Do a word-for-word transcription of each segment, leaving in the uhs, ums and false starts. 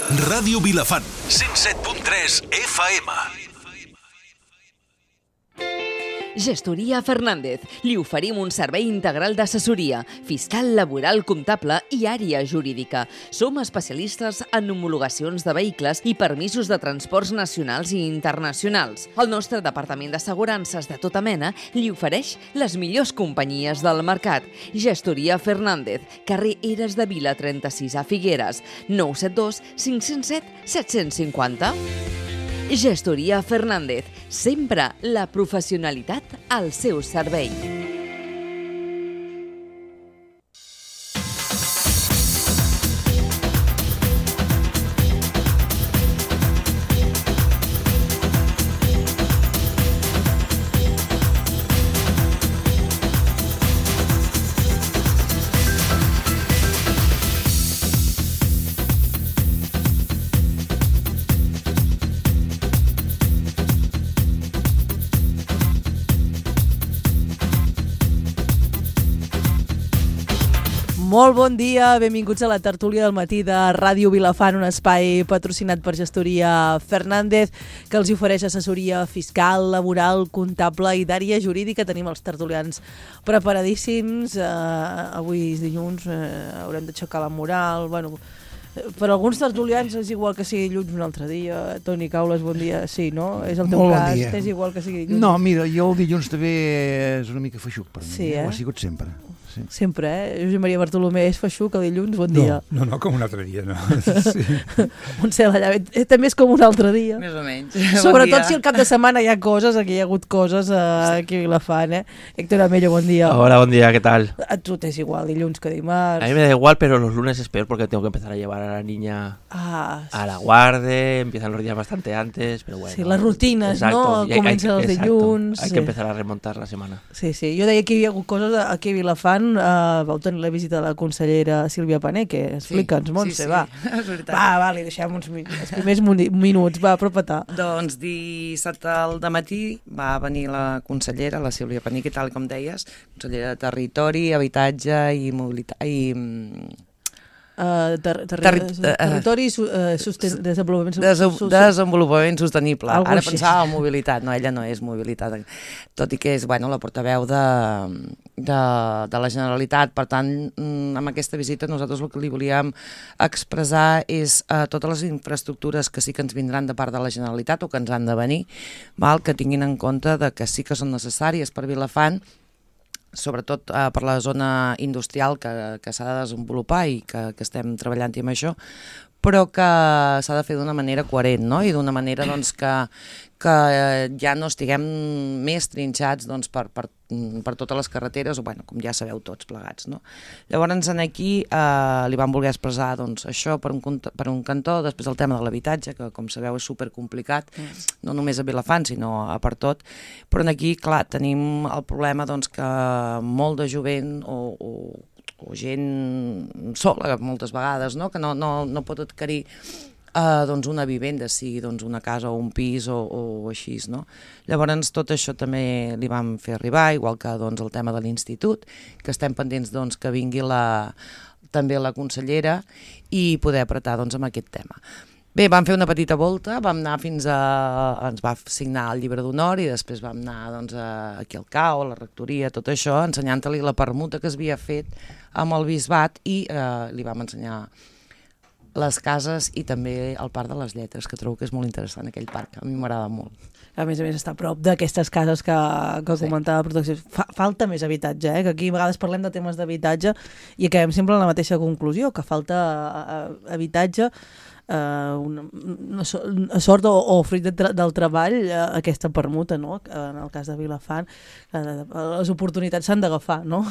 Ràdio Vilafant, cent set punt tres F M. Gestoria Fernández. Li oferim un servei integral d'assessoria, fiscal, laboral, comptable i àrea jurídica. Som especialistes en homologacions de vehicles i permisos de transports nacionals i internacionals. El nostre departament d'assegurances de tota mena li ofereix les millors companyies del mercat. Gestoria Fernández, carrer Eres de Vila trenta-sis a Figueres, nou set dos cinc zero set set cinc zero. Gestoria Fernández, sempre la professionalitat al seu servei. Molt bon dia, benvinguts a la tertúlia del matí de Ràdio Vilafant, un espai patrocinat per Gestoria Fernández, que els ofereix assessoria fiscal, laboral, comptable i d'àrea jurídica. Tenim els tertulians preparadíssims. Uh, avui és dilluns, uh, haurem d'aixecar la moral. Bueno, per alguns tertulians és igual que sigui dilluns un altre dia. Toni Caules, bon dia. Sí, no? És el teu Molt cas. Bon dia. És igual que sigui dilluns. No, mira, jo el dilluns també és una mica feixuc per mi. Sí, eh? Ho ha sigut sempre. Sí. Sempre, eh? Josep Maria Bartolomé és feixuc el dilluns, bon dia. No, no, no, com un altre dia, no. Sí. Montse Lallavet, eh, també és com un altre dia. Més o menys. Sobretot bon si el cap de setmana hi ha coses, aquí hi ha hagut coses eh, aquí a Vilafant, eh? Héctor Amello, bon dia. Hola, buen día, ¿qué tal? A tu t'és igual dilluns que dimarts. A mí me da igual, pero los lunes es peor porque tengo que empezar a llevar a la niña Ah, sí. a la guarde, empiezan los días bastante antes, pero bueno. Sí, les rutines, no? Y hay- Comencen hay- els exacto, dilluns, Hay sí. que empezar a remontar la semana. Sí, sí. Jo deia que hi havia hagut coses aquí a Vilafant. Uh, vau tenir la visita de la consellera Sílvia Paneque. Explica'ns, Montse, sí, sí, va. és veritat. Va, va, li deixem uns min els primers muni- minuts. Va, apropa-te. Doncs dissabte al dematí va venir la consellera, la Sílvia Paneque, tal com deies, consellera de Territori, Habitatge i Mobilitat i mm, Uh, ter ter Terri- ter territori i su uh, susten desenvolupament su Des su desenvolupament sostenible. Algo Ara així. pensava en mobilitat, no, ella no és mobilitat, tot i que és, bueno, la portaveu de, de, de la Generalitat. Per tant, mm, amb aquesta visita nosaltres el que li volíem expressar és uh, totes les infraestructures que sí que ens vindran de part de la Generalitat o que ens han de venir, val, que tinguin en compte de que sí que són necessàries per Vilafant, sobretot eh, per la zona industrial que, que s'ha de desenvolupar i que, que estem treballant amb això, però que s'ha de fer d'una manera coherent, no? I d'una manera doncs, que, que ja no estiguem més trinxats doncs, per, per, per totes les carreteres, o bueno, com ja sabeu tots plegats. No? Llavors en aquí eh, li vam voler expressar doncs, això per un, per un cantó, després el tema de l'habitatge, que com sabeu és supercomplicat, mm. no només a Vilafant, sinó a per tot, però en aquí, clar, tenim el problema doncs, que molt de jovent o, o o gent sola moltes vegades, no? Que no, no, no pot adquirir uh, doncs una vivenda, sigui doncs una casa o un pis o, o així, no? Llavors tot això també li vam fer arribar, igual que doncs, el tema de l'institut, que estem pendents doncs, que vingui la, també la consellera i poder apretar doncs, amb aquest tema. Bé, vam fer una petita volta, vam anar fins a... ens va signar el llibre d'honor i després vam anar doncs, a, aquí al C A O, a la rectoria, tot això, ensenyant-li la permuta que es havia fet amb el bisbat i eh, li vam ensenyar les cases i també el Parc de les Lletres, que trobo que és molt interessant aquell parc, a mi m'agrada molt. A més a més està a prop d'aquestes cases que, que Sí. comentava Protecció. Fa, falta més habitatge, eh? Que aquí a vegades parlem de temes d'habitatge i acabem sempre en la mateixa conclusió, que falta uh, habitatge, uh, una, una, so- una sort o, o fruit de tra del treball, uh, aquesta permuta, no? En el cas de Vilafant, uh, les oportunitats s'han d'agafar, no?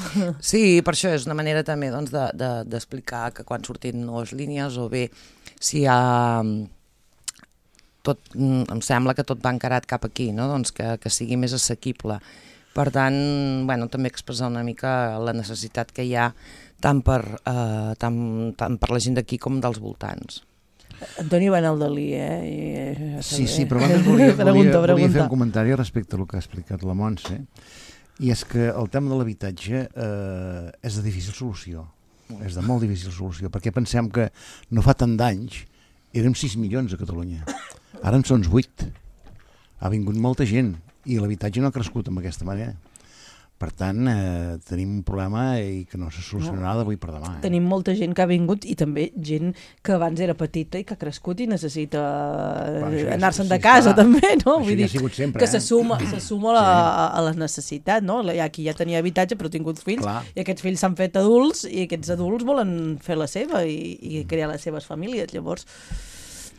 Sí, per això és una manera també doncs, de, de, d'explicar que quan surtin noves línies o bé si hi ha... tot, em sembla que tot va encarat cap aquí, no? Doncs que, que sigui més assequible. Per tant, bueno, també expressar una mica la necessitat que hi ha tant per, eh, tant, tant per la gent d'aquí com dels voltants. Antoni va anar al Dalí, eh? I, Sí, sí, però abans volia, pregunta, volia, volia pregunta. fer un comentari respecte al que ha explicat la Montse, i és que el tema de l'habitatge eh, és de difícil solució, és de molt difícil solució, perquè pensem que no fa tant d'anys érem sis milions a Catalunya. Ara en són vuit. Ha vingut molta gent i l'habitatge no ha crescut amb aquesta manera. Per tant, eh, tenim un problema i que no se solucionarà d'avui per demà. Eh? Tenim molta gent que ha vingut i també gent que abans era petita i que ha crescut i necessita Clar, anar-se'n sí, de casa, clar. també, no? Això Vull ja dir ha sigut sempre, que eh? se suma, se suma a, la, a la necessitat, no? Hi ha qui ja tenia habitatge però ha tingut fills Clar. i aquests fills s'han fet adults i aquests adults volen fer la seva i, i crear les seves famílies. Llavors,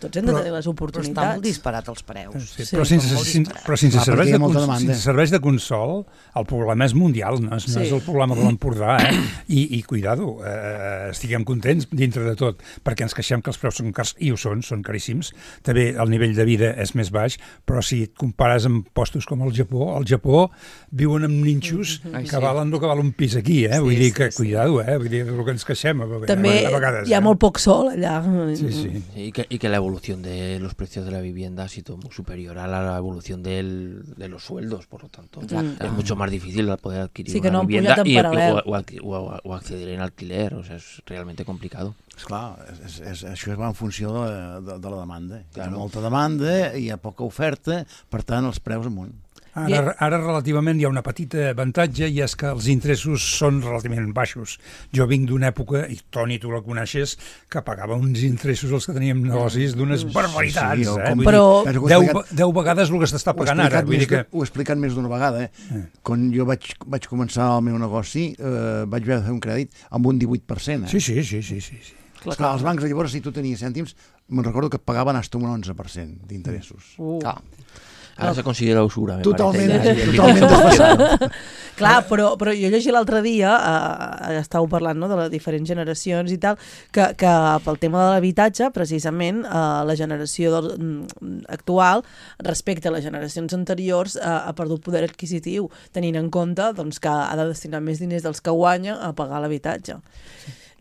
tots hem de Però- tenir les Però oportunitats. està molt disparat els preus. Sí, Sí, però sense, són molt sin, disparats. però sense, Clar, serveis perquè hi de ha molta cons, demanda. sense serveis de consol, el problema és mundial, no és, no Sí. és el problema de l'Empordà, eh? I, i cuidado, eh, estiguem contents dintre de tot, perquè ens queixem que els preus són cars, i ho són, són caríssims. També el nivell de vida és més baix, però si et compares amb postos com el Japó, al Japó viuen amb ninxos Ai, que sí. valen el que val un pis aquí, eh? Vull Sí, dir sí, que, sí. cuidado, eh? Vull dir, el que ens queixem a, a, També a vegades. hi ha eh? molt poc sol allà. Sí, sí. Y que, y que la evolución de los precios de la vivienda ha sido muy superior a la evolución del, de los sueldos, por lo tanto Exacte. es mucho más difícil poder adquirir Sí, que una no han vivienda pujat en y, paral·lel. o, o alqui- o- o acceder en alquiler, o sea, es realmente complicado. Esclar, és, és, això va en funció de, de, de la demanda. Hi ha Claro. molta demanda, hi ha poca oferta, per tant, els preus amunt. Ara, ara relativament hi ha una petita avantatge i és que els interessos són relativament baixos. Jo vinc d'una època, i Toni, tu la coneixes, que pagava uns interessos els que teníem negocis d'unes barbaritats. Sí, o eh? com- Vull Però- dir, Ho he deu, explicat- deu vegades el que s'està Ho he pagant ara. explicat Vull més dir que... de- Ho he explicat més d'una vegada. Eh? Eh. Quan jo vaig, vaig començar el meu negoci, eh, vaig haver de fer un crèdit amb un divuit per cent. Eh? Sí, sí, sí, sí, sí, sí. Esclar, els bancs, llavors, si tu tenies cèntims, me'n recordo que et pagaven fins un onze per cent d'interessos. Uh. Ah. Ahora se considera usura, me Totalment, parece. ya, totalment desfasat. Clar, però, però jo llegia l'altre dia, eh, estàveu parlant, no?, de les diferents generacions i tal, que, que pel tema de l'habitatge, precisament, eh, la generació del, mm, actual, respecte a les generacions anteriors, eh, ha perdut poder adquisitiu, tenint en compte doncs, que ha de destinar més diners dels que guanya a pagar l'habitatge.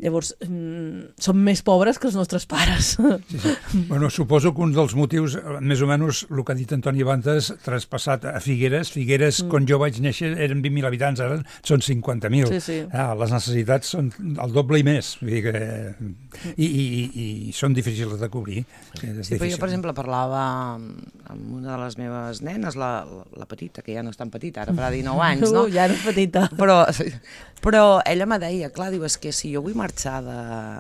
Llavors, mm, som més pobres que els nostres pares. Sí, sí. Bueno, suposo que un dels motius, eh, més o menys el que ha dit Antoni Bantes, traspassat a Figueres. Figueres, mm. quan jo vaig néixer, eren vint mil habitants, ara són cinquanta mil. Sí, sí. Ah, les necessitats són el doble i més. Vull dir que... I, i, i, i són difícils de cobrir. És Sí, però jo, difícil. per exemple, parlava amb una de les meves nenes, la, la petita, que ja no és tan petita, ara farà dinou anys, no? Uh, ja no és petita. Però, però ella me deia, clar, diu, és que si jo vull marxar de,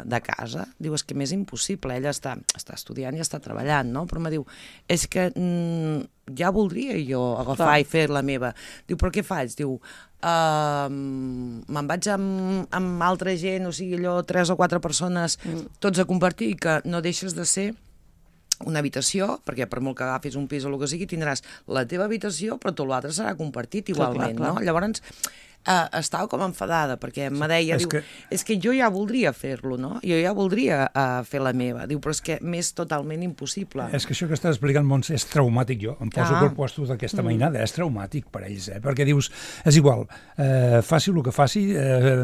de casa, diu, és que m'és impossible, ella està, està estudiant i està treballant, no? Però me diu, és que mm, ja voldria jo agafar Clar. i fer la meva. Diu, però què faig? Diu, uh, me'n vaig amb, amb altra gent, o sigui, allò, tres o quatre persones, mm. tots a compartir, que no deixes de ser una habitació, perquè per molt que agafis un pis o el que sigui, tindràs la teva habitació, però tot l'altre serà compartit igualment, clar, clar. no? Llavors, uh, estava com enfadada, perquè me deia, és diu, que- és que jo ja voldria fer-lo, no? Jo ja voldria uh, fer la meva. Diu, però és que m'és totalment impossible. És que això que estàs explicant, Montse, és traumàtic, jo. Em poso Ah. pel puesto d'aquesta mainada. És traumàtic per ells, eh? Perquè dius, és igual, eh, faci el que faci, eh,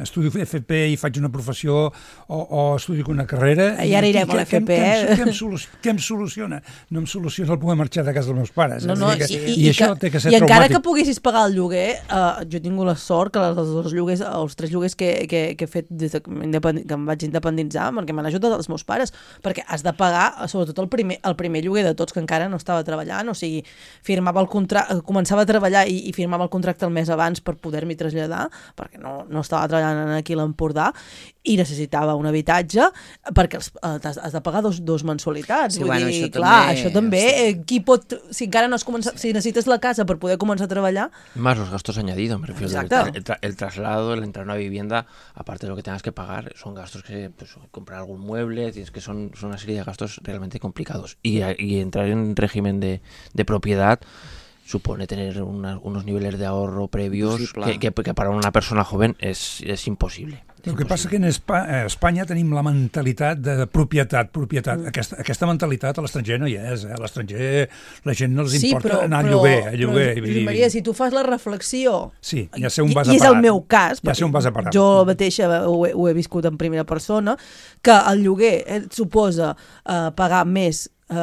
estudio F P i faig una professió o, o estudio una carrera... I ara irem a l'F P, què, eh? Què, què, em soluciona, què em soluciona? No em soluciona el poder marxar de casa dels meus pares. No, eh? no, Vull dir i, que, i, I això que, té que ser i encara traumàtic. que poguessis pagar el lloguer, eh, jo he tingut la sort que els dos lloguers, els tres lloguers que, que, que he fet des de, que em vaig independitzar, perquè m'han ajudat els meus pares, perquè has de pagar, sobretot el primer, el primer lloguer de tots, que encara no estava treballant, o sigui, firmava el contracte, començava a treballar i, i firmava el contracte el mes abans per poder-m'hi traslladar, perquè no, no estava treballant aquí a l'Empordà, i necessitava un habitatge, perquè els, eh, has, has de pagar dos, dos mensualitats. Sí, Vull bueno, dir, això clar, també, això també, sí. eh, qui pot, si encara no has començat, si necessites la casa per poder començar a treballar, Más los gastos añadidos, me refiero. El, Exacto. tra- el tra- el traslado, el entrar a una vivienda, aparte de lo que tengas que pagar, son gastos que, pues, comprar algún mueble, tienes que son, son una serie de gastos realmente complicados. Y, a- y entrar en régimen de, de propiedad supone tener una- unos niveles de ahorro previos Imposible. que, que- que para una persona joven es, es imposible. El que passa que en Espa- a Espanya tenim la mentalitat de propietat, propietat. Mm. Aquesta, aquesta mentalitat a l'estranger no hi és. Eh? A l'estranger la gent no els sí, importa però, anar a però, lloguer. A lloguer però, vull Josep dir- Maria, si tu fas la reflexió, Sí, ja sé on vas i, a i és parar. el meu cas, Ja sé on vas a parar. jo mateixa ho he, ho he viscut en primera persona, que el lloguer eh, suposa eh, pagar més eh,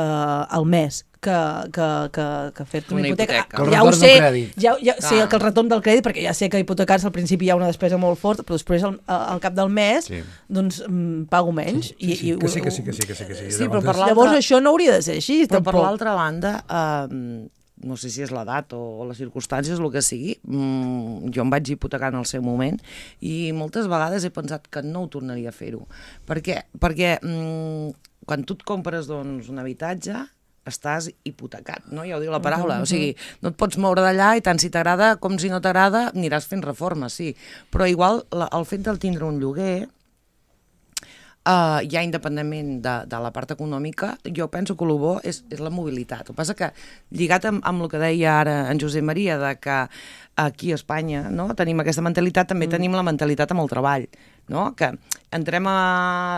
al mes que, que, que, que fer-te una, Una hipoteca. hipoteca. Que el Ja ho retorn sé, del crèdit. ja, ja, sí, Clar. que el retorn del crèdit, perquè ja sé que hipotecar-se al principi hi ha una despesa molt forta, però després al, al cap del mes Sí. doncs mm, pago menys. Sí, sí, i, que sí, que sí, que sí, que sí, que sí. Sí, però Llavors, per l'altra- Llavors això no hauria de ser així, Però per tampoc. l'altra banda, eh, no sé si és l'edat o, o les circumstàncies, el que sigui, mm, jo em vaig hipotecar en el seu moment i moltes vegades he pensat que no ho tornaria a fer-ho. Per què? Perquè mm, quan tu et compres doncs, un habitatge, estàs hipotecat, no? Ja ho diu la paraula. O sigui, no et pots moure d'allà i tant si t'agrada com si no t'agrada aniràs fent reformes, sí. Però igual la, el fet de tindre un lloguer, Uh, ja independentment de, de la part econòmica, jo penso que el bo és, és la mobilitat. El que passa que, lligat amb, amb el que deia ara en Josep Maria, de que aquí a Espanya no, tenim aquesta mentalitat, també mm. tenim la mentalitat amb el treball, no? Que entrem a,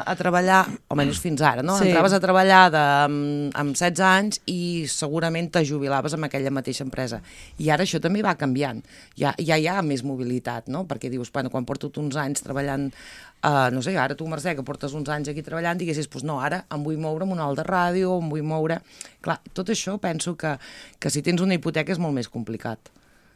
a treballar, almenys fins ara, no? Sí. Entraves a treballar de, amb, amb setze anys i segurament te jubilaves amb aquella mateixa empresa. I ara això també va canviant. Ja, ja hi ha més mobilitat, no? Perquè dius, bueno, quan porto uns anys treballant Uh, no sé, ara tu, Mercè, que portes uns anys aquí treballant, diguessis, doncs no, ara em vull moure amb un alt de ràdio, em vull moure... Clar, tot això penso que, que si tens una hipoteca és molt més complicat,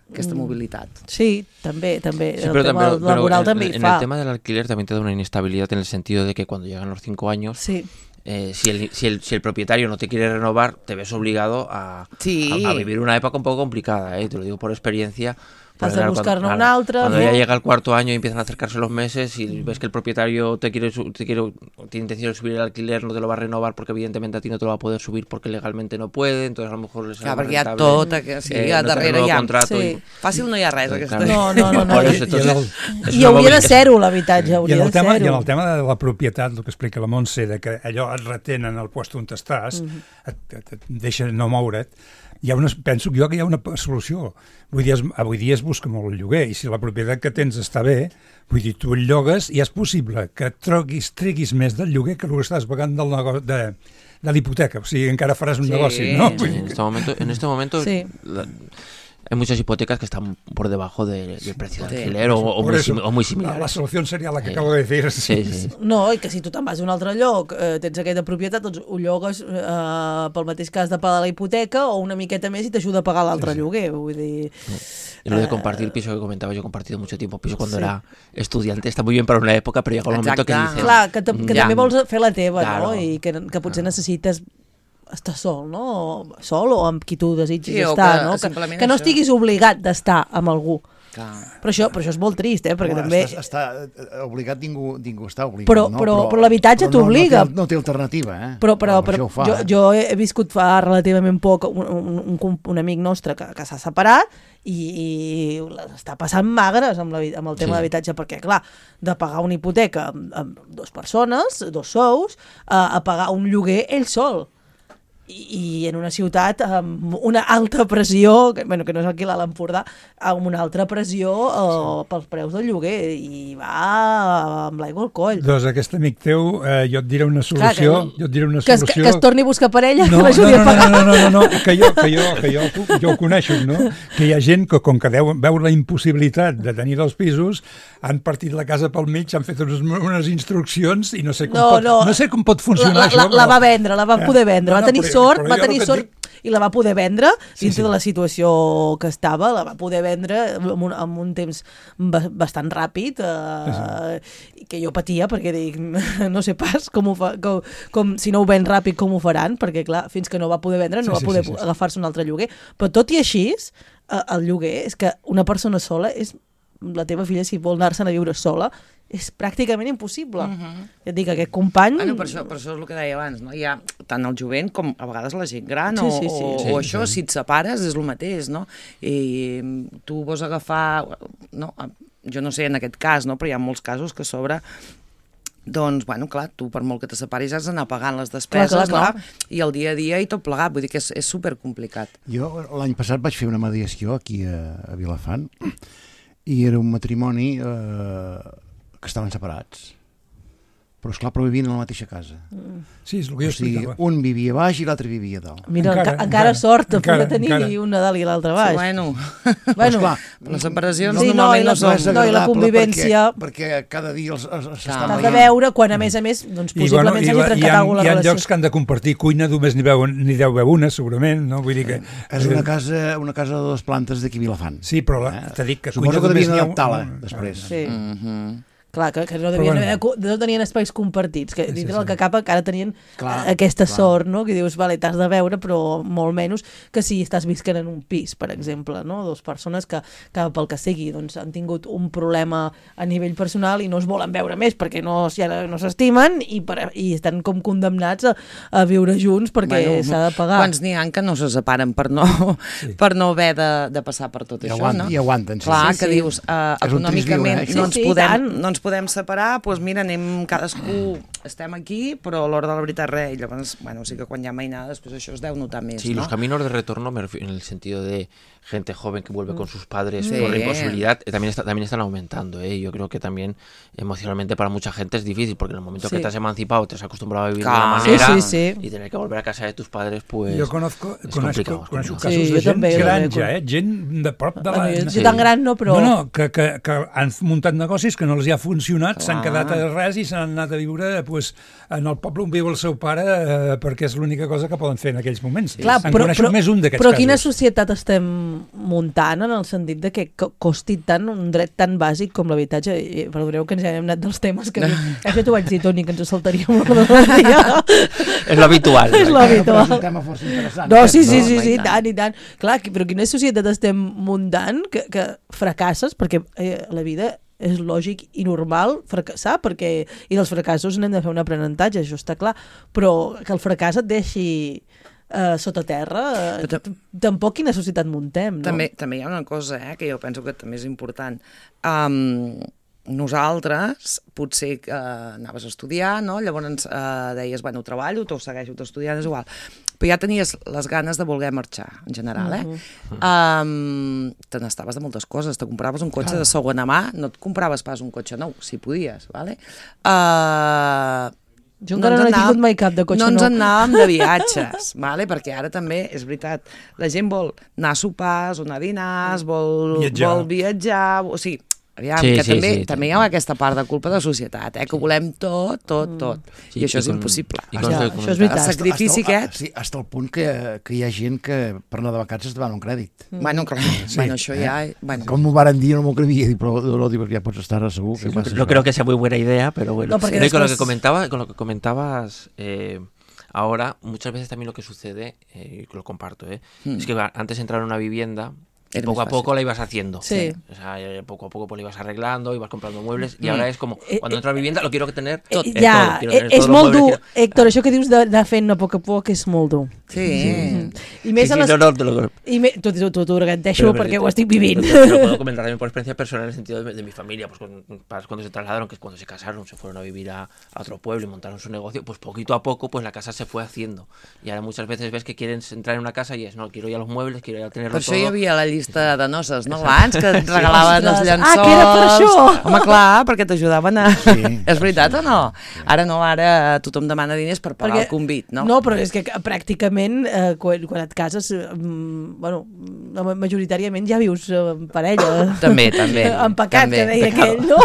aquesta mm. mobilitat. Sí, també, també. Sí, el pero, tema pero- pero laboral en, també hi en fa. el tema del alquiler también te da una inestabilidad en el sentido de que cuando llegan los cinco años, Sí. eh, si, el, si, el, si el propietario no te quiere renovar, te ves obligado a, Sí. a, a vivir una época un poco complicada, ¿eh? Te lo digo por experiencia. Has Porque, de claro, buscar-ne cuando- un claro, altre, Cuando no? ya llega el cuarto año y empiezan a acercarse los meses y ves que el propietario te quiere, su- te quiere tiene intención de subir el alquiler, no te lo va a renovar porque evidentemente a ti no te lo va a poder subir porque legalmente no puede, entonces a lo mejor les Clar, sale más perquè hi ha rentable, tot, que, sí, eh, a no te darrere renueva hi ha... contrato Sí. y- Fàcil no hi ha res, aquesta. No, no, no, no. Por I- eso, entonces, I el- es I una hauria de movida- ser-ho, l'habitatge, I hauria en, de el tema, I en ser-ho. el tema de la propietat, el que explica la Montse, de que allò et retenen al lloc on estàs, Mhm. et, et, et deixa no moure't, hi ha una, penso jo que hi ha una solució. Vull dir, es, avui dia es busca molt el lloguer, i si la propietat que tens està bé, vull dir, tu el llogues i és possible que troguis, treguis més del lloguer que el que estàs pagant del nego de, de l'hipoteca. O sigui, encara faràs un Sí. negoci, no? Sí, en este momento, en este momento Sí. la- hay muchas hipotecas que están por debajo de- del precio de Sí. alquiler o, o Por muy, eso, sim- o muy la, similares. la solució seria la que Sí. acabo de dir. Sí, sí. No, i que si tu te'n vas a un altre lloc, eh, tens aquesta propietat, doncs ho llogues eh, pel mateix cas de pagar la hipoteca o una miqueta més i t'ajuda a pagar l'altre lloguer. Vull dir... Y lo de Eh, compartir piso que comentaba, yo he compartido mucho tiempo piso cuando Sí. era estudiante, está muy bien para una época, pero llega un momento que Exacte. dices... Clar, que, que Ja. també vols fer la teva, Claro. no? I que, que potser necessites estar sol, no? Sol o amb qui tu desitgis Sí, o estar, que no? Que, simplement que no això. estiguis obligat d'estar amb algú. Clar. Però això, però això és molt trist, eh? Perquè Home, també... Està, està eh, obligat, ningú, ningú està obligat. Però- no? però- però l'habitatge però no- t'obliga. No, té, no té alternativa, eh? Però, però, Per però això ho fa, jo, eh? jo he viscut fa relativament poc un, un, un, com- un amic nostre que, que s'ha separat i, i està passant magres amb, la, amb el tema Sí. de l'habitatge, perquè, clar, de pagar una hipoteca amb, amb dues persones, dos sous, a, a pagar un lloguer ell sol. I, i en una ciutat amb una alta pressió, que, bueno, que no és aquí l'Alt Empordà, amb una altra pressió eh, pels preus del lloguer, i va amb l'aigua al coll. Doncs aquest amic teu, eh, jo et diré una Clar, solució. que- jo et diré una Que es, solució. que es torni a buscar parella, No, que no, l'ajudi no, a pagar. no, no, no, no, no, que jo, que jo, que jo, jo ho coneixo, no? Que hi ha gent que, com que deu, veu la impossibilitat de tenir dos pisos, han partit la casa pel mig, han fet unes, unes instruccions i no sé com, No, pot, no. no sé com pot funcionar la, la, això. la va vendre, la va Eh, poder vendre, no, va no, tenir però- sort, però va jo tenir el que sort et dic- i la va poder vendre Sí, dintre sí. de la situació que estava, la va poder vendre en un, en un temps ba- bastant ràpid, eh, sí. que jo patia perquè dic, no sé pas com, ho fa, com, com si no ho ven ràpid com ho faran, perquè clar, fins que no va poder vendre no Sí, va sí, poder sí, sí, sí. agafar-se un altre lloguer, però tot i així eh, el lloguer és que una persona sola és la teva filla, si vol anar-se'n a viure sola, és pràcticament impossible. Uh -huh. Ja et dic, aquest company... Bueno, per, això, per això és el que deia abans, no? Hi ha tant el jovent com a vegades la gent gran, Sí, o, sí, sí. o, Sí, o això, si et separes, és el mateix, no? I tu vols agafar... No, jo no sé en aquest cas, no? Però hi ha molts casos que a sobre doncs, bueno, clar, tu per molt que te separis has d'anar pagant les despeses, Clar, clar, clar. no? I el dia a dia i tot plegat, vull dir que és, és supercomplicat. Jo l'any passat vaig fer una mediació aquí a, a Vilafant i era un matrimoni eh, que estaven separats. però esclar, però vivien a la mateixa casa. Sí, és el que jo O sigui, explicava. un vivia baix i l'altre vivia dalt. Mira, Encara, encara, encara encara, sort de encara, poder tenir encara. un Nadal i l'altre baix. Sí, bueno, bueno, Esclar, les separacions Sí, no, normalment i no, les- són... no, i la agradable convivència- Perquè, perquè cada dia els, els, els s'estan t'has de veure quan, a més a més, doncs, I, possiblement bueno, i, s'hagi la- trencat hi ha, alguna hi ha relació. llocs que han de compartir cuina, només n'hi veuen, n'hi deu veure una, segurament, no? Vull dir que... És una casa, una casa de dues plantes d'aquí a Vilafant. Sí, però la, Eh? t'he dit que Suposo cuina que només devien n'hi ha un- adaptar-la, un- després. Sí. Mhm. Clar, que, que no, devien, bueno. haver, no tenien espais compartits, que dintre sí, del sí. que cap encara tenien Clar, eh, aquesta clar. sort, no? Que dius, vale, t'has de veure, però molt menys que si estàs visquent en un pis, per exemple, no? Dos persones que, que pel que sigui, doncs, han tingut un problema a nivell personal i no es volen veure més perquè no, si ara no s'estimen i, per, i estan com condemnats a, a viure junts perquè Bueno, s'ha de pagar. Quants n'hi ha que no se separen per no, sí. per no haver de, de passar per tot I això, aguanten, no? i aguanten, sí. Clar, Sí, que sí. dius, uh, És un trist econòmicament viure, eh, no, això. ens Sí, sí, podem, tant. no ens podem separar, doncs mira, anem cadascú, estem aquí, però a l'hora de la veritat res, i llavors, bueno, sí que quan hi ha mainada, després això es deu notar més, Sí, no? los caminos de retorno, me refiero en el sentido de gente joven que vuelve con sus padres Sí. por la imposibilidad, eh, también, está, también están aumentando. ¿eh? Yo creo que también emocionalmente para mucha gente es difícil, porque en el momento Sí. que te has emancipado, te has acostumbrado a vivir Claro. de una Sí, manera sí, sí. y tener que volver a casa de tus padres, pues Jo conozco, és conozco, complicado, és conozco complicado. casos Sí, de jo gent també, jo gran també. ja, eh? gent de prop de la... Bueno, jo Sí. tan gran no, però... No, no, que, que, que han muntat negocis que no els hi ha funcionat, s'han Clar. quedat a res i s'han anat a viure pues, en el poble on viu el seu pare eh, perquè és l'única cosa que poden fer en aquells moments. Clar, en però, coneixo però, més un d'aquests però casos. quina societat estem muntant en el sentit de que co- costi tant un dret tan bàsic com l'habitatge? I perdoneu que ens hem anat dels temes que... Això t'ho vaig dir, Toni, que ens ho saltaríem l'ordre del dia. Es lo habitual. És ¿no? l'habitual. És un tema força interessant. No, sí, sí, No, sí, home, sí, i i tant. tant, i tant. Clar, qui- però quina societat estem muntant que, que fracasses, perquè eh, la vida és lògic i normal fracassar, perquè, i dels fracassos n'hem de fer un aprenentatge, això està clar, però que el fracàs et deixi eh, sota terra, eh, Però ta- t- tampoc quina societat muntem, no? També, també hi ha una cosa eh, que jo penso que també és important. Um, nosaltres, potser que uh, anaves a estudiar, no? Llavors uh, deies, bueno, treballo, t'ho segueixo, t'ho estudiant, és igual. Però ja tenies les ganes de voler marxar, en general, eh? Mhm. Um, te n'estaves de moltes coses. Te compraves un cotxe de segona mà, no et compraves pas un cotxe nou, si podies, vale? Uh, Jo encara no he tingut mai cap de cotxe no ens nou. en anàvem de viatges, vale? Perquè ara també, és veritat, la gent vol anar a sopars, o anar a dinars, vol Viatjar. vol viatjar, o sigui, aviam, Sí, que sí, també, sí, també sí. hi ha aquesta part de culpa de societat, eh? Que volem tot, tot, tot. Sí, I això i és con- impossible. i Ja, con- això és con- veritat. El sacrifici hasta, aquest... Sí, hasta el punt que, que hi ha gent que per anar de vacances et van un crèdit. Bueno, clar, Sí, bueno, això eh? ja... Bueno. Com m'ho varen dir, no m'ho crevia, dic, però no, dic, ja pots estar segur. Que passa No creo que sea muy buena idea, pero bueno. No, porque Creo que con lo después- que comentaba, con lo que comentabas eh, ahora, muchas veces también lo que sucede, eh, y lo comparto, eh, Hmm. es que antes de entrar en una vivienda, Era poco más a poco fácil. la ibas haciendo. Sí. O sea, eh, poco a poco pues, la ibas arreglando, ibas comprando muebles, y Mm. ahora es como, Eh, cuando entro a la vivienda lo quiero tener Eh, tot, eh, ja, todo, quiero eh, tener és todos los molt muebles, dur, quiero- Héctor, això que dius de, de fent a poc a poc és molt dur. Sí. I Sí, més a sí, les... no, no, te lo- I me... Tu, tu, tu, tu garanteixo Pero- perquè ho estic vivint. Pero, pero puedo comentar también por experiencia personal en el sentido de, de mi familia, pues con padres cuando se trasladaron, que es cuando se casaron, se fueron a vivir a, a otro pueblo y montaron su negocio, pues poquito a poco pues la casa se fue haciendo. Y ahora muchas veces ves que quieren entrar en una casa y es, no, quiero ya los muebles, quiero ya tenerlo Per això todo. hi havia la llista de noces, no? Abans, que et regalaven els Ostres. llençols. Ah, que era per això. Home, clar, perquè t'ajudaven a... Sí, és veritat o no? Ara no, ara tothom demana diners per pagar Perquè- el convit, no? No, però és que pràcticament eh, quan, quan et cases, eh, mm, bueno, ma- majoritàriament ja vius eh, en parella. També, també. Empacat, també, que deia pecado. aquell, no?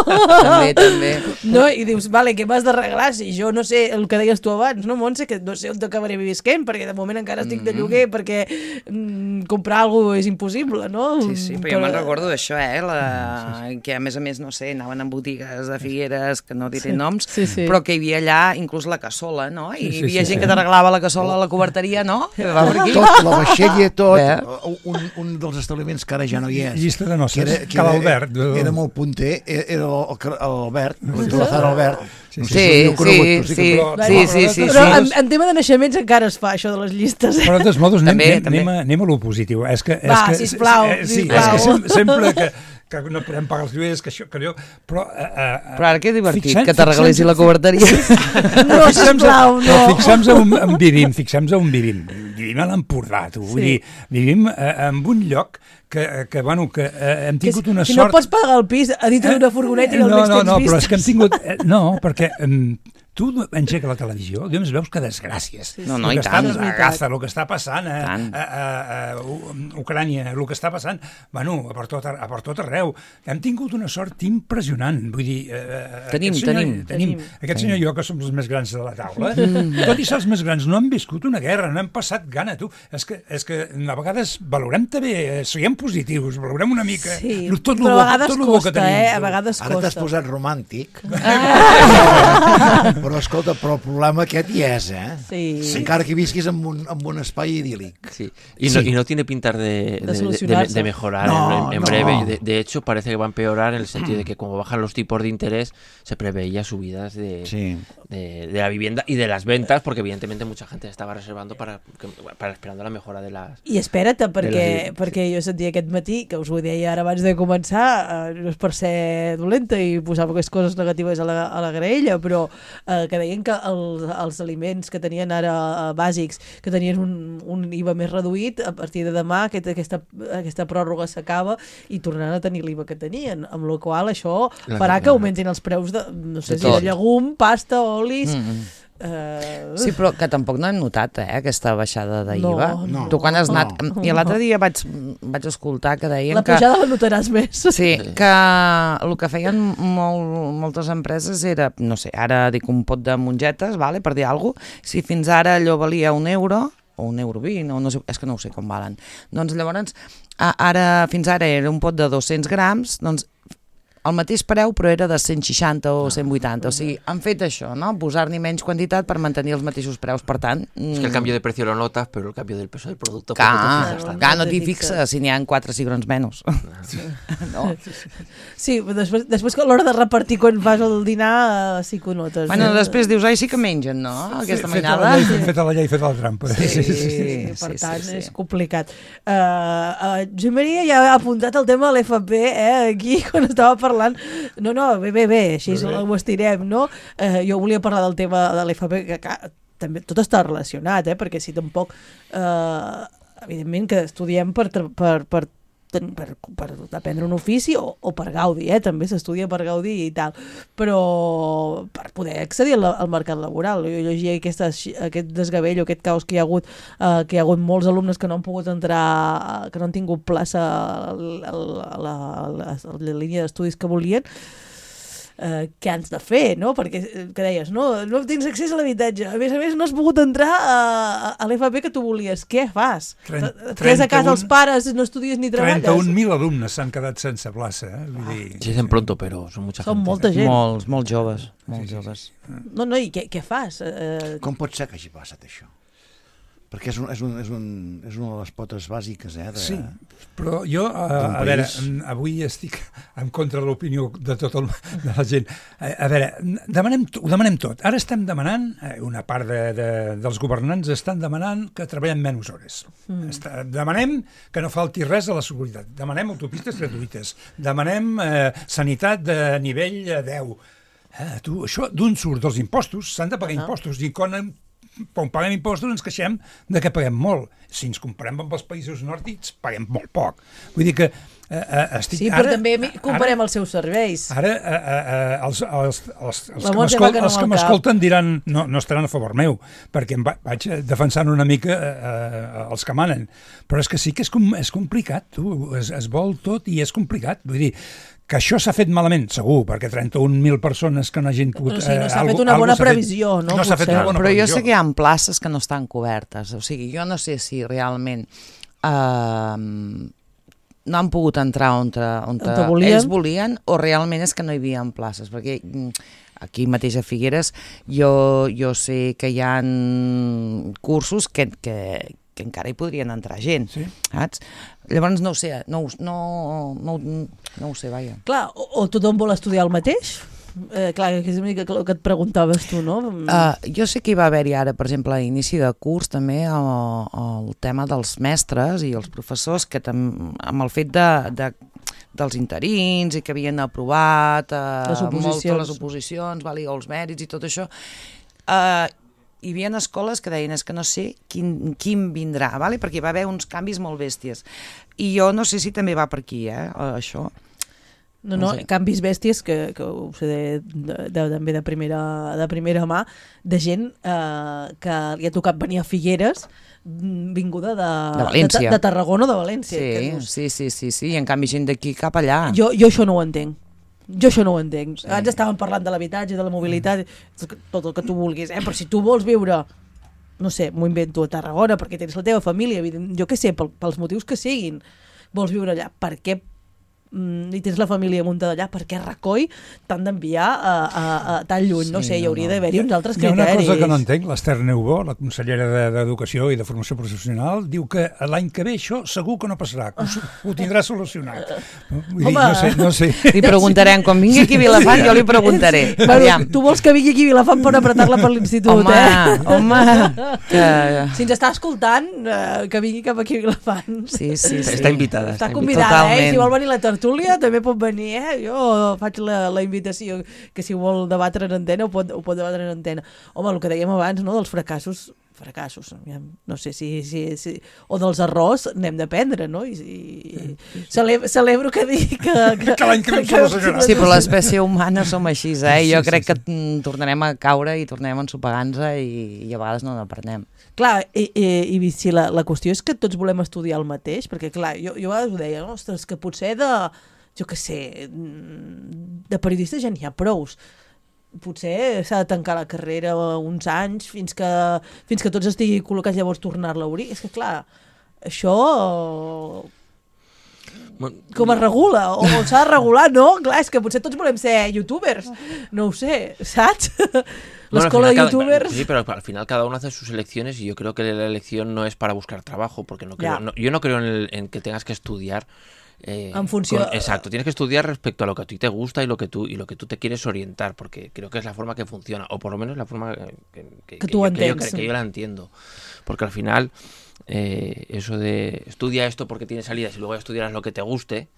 També, també. No, i dius, vale, què m'has d'arreglar? Si jo no sé el que deies tu abans, no, Montse, que no sé on t'acabaré visquent, perquè de moment encara estic de lloguer, perquè mm, comprar alguna cosa és impossible, no? Sí, sí, però jo me'n recordo d'això, eh? La... Que a més a més, no sé, anaven en botigues de Figueres, que no diré Sí, noms, sí, sí. però que hi havia allà inclús la cassola, no? I Sí, sí, hi havia sí, gent sí. que t'arreglava la cassola a la coberteria, no? Que va per aquí. Tot, la vaixella, tot, Bé. un, un dels establiments que ara ja no hi és. Llista de noces, que era, que Cal era, Albert. Era molt punter, era era el- l'Albert, el Calazar Albert. Sí, No sé Sí, si l'heu conegut, sí, però sí, que- però- sí, sí, sí, Però sí. en, en tema de naixements encara es fa això de les llistes. Però de tots modos, anem, També, anem, també. anem, a, anem a lo positiu. És que, és Va, que, sisplau, eh, sí, sisplau. és que sem sempre que, que no podem pagar els lloguers, que això, que allò... Però, eh, eh, Però ara que divertit, fixem- que t'arreglessi fixem- la coberteria. No, sisplau, no. Però fixem-nos on, on vivim, fixem-nos on vivim. Vivim a l'Empordà, tu. Vull Sí. dir, vivim eh, en un lloc que, que, bueno, que eh, hem Que tingut si, una si sort... no pots pagar el pis a dintre d'una furgoneta i al no, mig no, tens no, però és vistes. que hem tingut... Eh, no, perquè... Eh, tu engegues la televisió, doncs veus que desgràcies. No, no, el i que està tant. a Gaza, el que està passant a, Tant. a, a, a U- Ucrània, el que està passant, bueno, a per tot, a per tot arreu. Hem tingut una sort impressionant. Vull dir, eh, Tenim, aquest senyor, tenim. tenim. Aquest senyor i jo, que som els més grans de la taula, tot i ser els més grans, no hem viscut una guerra, no hem passat gana, tu. És que, és que a vegades valorem també, eh, siguem positius, valorem una mica Sí, tot lo però bo, a vegades tot lo bo costa, que tenim. eh? A vegades Ara t'has costa. posat romàntic. Però escolta, però el problema aquest hi és, eh? Sí. Encara que visquis en un, en un espai idíl·lic. Sí. Y, no, Sí. y no tiene pintar de, De de, de, solucionarse. de mejorar No, en, en no. breve. De, de hecho, parece que va a empeorar en el sentido de que como bajan los tipos de interés, se preveía subidas de, Sí. de, de la vivienda y de las ventas, porque evidentemente mucha gente estaba reservando para, que- para esperando la mejora de las... I espera't, perquè, De les- perquè jo sentia aquest matí, que us ho deia ara abans de començar, eh, no és per ser dolenta i posar poques coses negatives a la, a la graella, però eh, que deien que els, els aliments que tenien ara eh, bàsics, que tenien un, un I V A més reduït, a partir de demà aquest, aquesta, aquesta pròrroga s'acaba i tornaran a tenir l'I V A que tenien, amb la qual això La- farà la- que augmentin els preus de, no sé De si de tot. llegum, pasta, olis... Mm. Eh, Sí, però que tampoc no hem notat, eh, aquesta baixada d'I V A. No, no. Tu quan has anat... No. I l'altre dia vaig, vaig escoltar que deien la que... pujada la notaràs més. Sí, que el que feien molt, moltes empreses era, no sé, ara dic un pot de mongetes, vale, per dir alguna cosa, si fins ara allò valia un euro, o un euro vint, o no sé, és que no ho sé com valen. Doncs llavors, a, ara, fins ara era un pot de dos-cents grams, doncs el mateix preu, però era de cent seixanta o cent vuitanta. O sigui, han fet això, no? Posar-n'hi menys quantitat per mantenir els mateixos preus. Per tant... Es que el cambio de precio lo notas, pero el cambio del peso del producto... Clar, poco te fijas tanto. clar, no t'hi te fixes fixes. si n'hi ha quatre cigrons menys. No. Sí, però després, després que a l'hora de repartir quan fas el dinar eh, sí que ho notes. Bueno, eh? després dius, ai, sí que mengen, no? Aquesta Feta la mainada. llei, feta la llei, feta la trampa. Sí, Sí, sí, per sí, tant, sí, sí. és complicat. Uh, uh, Josep Maria ja ha apuntat el tema de l'F P, eh, aquí, quan estava parlant. No, no, bé, bé, bé, així Bé, bé. ho estirem, no? Uh, jo volia parlar del tema de l'F P, que, que també tot està relacionat, eh, perquè si tampoc... Uh, evidentment que estudiem per, tra- per, per ten- per, per aprendre un ofici o, o per gaudir, eh? També s'estudia per gaudir i tal, però per poder accedir al, al mercat laboral. Jo llegia aquesta, aquest desgavell o aquest caos que hi ha hagut, eh, que hi ha hagut molts alumnes que no han pogut entrar, eh, que no han tingut plaça a la, a la, a la, a la línia d'estudis que volien. Eh, què has de fer, no? Perquè, eh, que deies, no, no tens accés a l'habitatge, a més a més no has pogut entrar a, a l'F P que tu volies, què fas? Tren- Et quedes a casa trenta-un els pares, no estudies ni treballes? trenta-un mil alumnes s'han quedat sense plaça. Eh? Vull dir... Se dicen pronto, pero son mucha Són gente. molta gent. Molts, molts joves, molts Sí, sí, sí. joves. No, no, i què, què fas? Eh, Com pot ser que hagi passat això? Perquè és, un, és, un, és, un, és una de les potes bàsiques, eh? De... Sí, però jo, a, D'un a veure, país. mm, avui estic en contra de l'opinió de tot el, de la gent. A, a veure, demanem, ho demanem tot. Ara estem demanant, eh, una part de, de, dels governants estan demanant que treballem menys hores. Mm. Està, demanem que no falti res a la seguretat. Demanem autopistes gratuïtes. Demanem eh, sanitat de nivell eh, deu. Eh, tu, això d'on surt? Dels impostos. S'han de pagar impostos. I quan quan paguem impostos ens queixem de que paguem molt. Si ens comparem amb els països nòrdics, paguem molt poc. Vull dir que eh, eh, estic... sí, però ara, també mi- comparem ara, els seus serveis. Ara eh, eh, els, els, els, els La que Montse m'escol- va que no els que al cap. m'escolten diran no, no estaran a favor meu, perquè em va, vaig defensant una mica eh, eh, els que manen. Però és que sí que és, com, és complicat, tu. Es, es vol tot i és complicat. Vull dir, que això s'ha fet malament, segur, perquè trenta-un mil persones que no hagin pogut... Però sí, no eh, s'ha algo- fet una algo bona s'ha fet- previsió, no? No s'ha fet Potser. una bona Però jo previsió. sé que hi ha places que no estan cobertes. O sigui, jo no sé si realment eh, no han pogut entrar on, on, On te volien. ells volien o realment és que no hi havia places. Perquè mm, aquí mateix a Figueres jo, jo sé que hi ha cursos que, que, que encara hi podrien entrar gent, Sí. saps? Llavors no ho sé, no, ho- no, no, no ho sé, vaja. Clar, o, o tothom vol estudiar el mateix? Eh, clar, que és una mica el que et preguntaves tu, no? Uh, jo sé que hi va haver-hi ara, per exemple, a inici de curs també el, el tema dels mestres i els professors que tam, amb el fet de, de, dels interins i que havien aprovat uh, Les oposicions. molt les oposicions, vale, o els mèrits i tot això, uh, hi havia escoles que deien és que no sé quin, quin vindrà, vale? Perquè hi va haver uns canvis molt bèsties. I jo no sé si també va per aquí, eh, això. No, no, No sé. canvis bèsties, que, que ho sé de, de, de, també de primera, de primera mà, de gent eh, que li ha tocat venir a Figueres vinguda de, De València. de, de Tarragona o de València. que Sí, dius, sí, sí, sí, sí, i en canvi gent d'aquí cap allà. Jo, jo això no ho entenc. Jo això no ho entenc. Sí. Abans estàvem parlant de l'habitatge, de la mobilitat, tot el que tu vulguis, eh? Però si tu vols viure, no sé, m'ho invento a Tarragona, perquè tens la teva família, evident, jo què sé, pel, pels motius que siguin, vols viure allà, per què mm, i tens la família muntada allà, per què Recoll t'han d'enviar a, a, a tan lluny? No Sí, sé, hi no, hauria no. d'haver-hi uns altres Hi ha una criteris. cosa que no entenc, l'Ester Neubó, la consellera de- d'Educació i de Formació Professional, diu que l'any que ve això segur que no passarà, que ho, s- ho tindrà solucionat. Vull dir, Home. no sé, no sé. Li preguntarem, quan vingui aquí a Vilafant, jo li preguntaré. Bueno, Aviam. tu vols que vingui aquí a Vilafant per apretar-la per l'institut, Home, eh? home, que... Si ens està escoltant, eh, que vingui cap aquí a Vilafant. Sí, sí, sí. Està invitada. Està Està convidada, eh? Totalment. Si vol venir a la tertúlia, també pot venir, eh? Jo faig la, la invitació, que si vol debatre en antena, ho pot, ho pot debatre en antena. Home, el que dèiem abans, no?, dels fracassos, fracassos, aviam, no sé si, si, si... o dels errors n'hem d'aprendre, no? I, i celebro, celebro que digui que... Que, Que l'any que ve ho solucionarà. Sí, però l'espècie humana som així, eh? Sí, Jo sí, crec sí. que mm, tornarem a caure i tornarem a ensopegar-nos i, i a vegades no n'aprenem. Clar, i, i, i si la, la qüestió és que tots volem estudiar el mateix, perquè clar, jo, jo a vegades ho deia, no? Ostres, que potser de, jo què sé, de periodistes ja n'hi ha prous. Potser s'ha de tancar la carrera uns anys fins que, fins que tots estigui col·locats, llavors tornar-la a obrir. És que clar, això com es regula? O, o s'ha de regular? No, clar, és que potser tots volem ser youtubers. No ho sé, saps? Bueno, L'escola al de final cada- youtubers... Sí, pero al final cada uno hace sus elecciones y yo creo que la elección no es para buscar trabajo, porque no creo, Ya. no- yo no creo en, el- en que tengas que estudiar. eh, En función- con- exacto, tienes que estudiar respecto a lo que a ti te gusta y lo que tú y lo que tú te quieres orientar, porque creo que es la forma que funciona, o por lo menos la forma eh, que, que- Que que tú yo, que yo- entiendes. que yo la entiendo, porque al final eh, eso de estudia esto porque tiene salidas y luego estudiarás lo que te guste.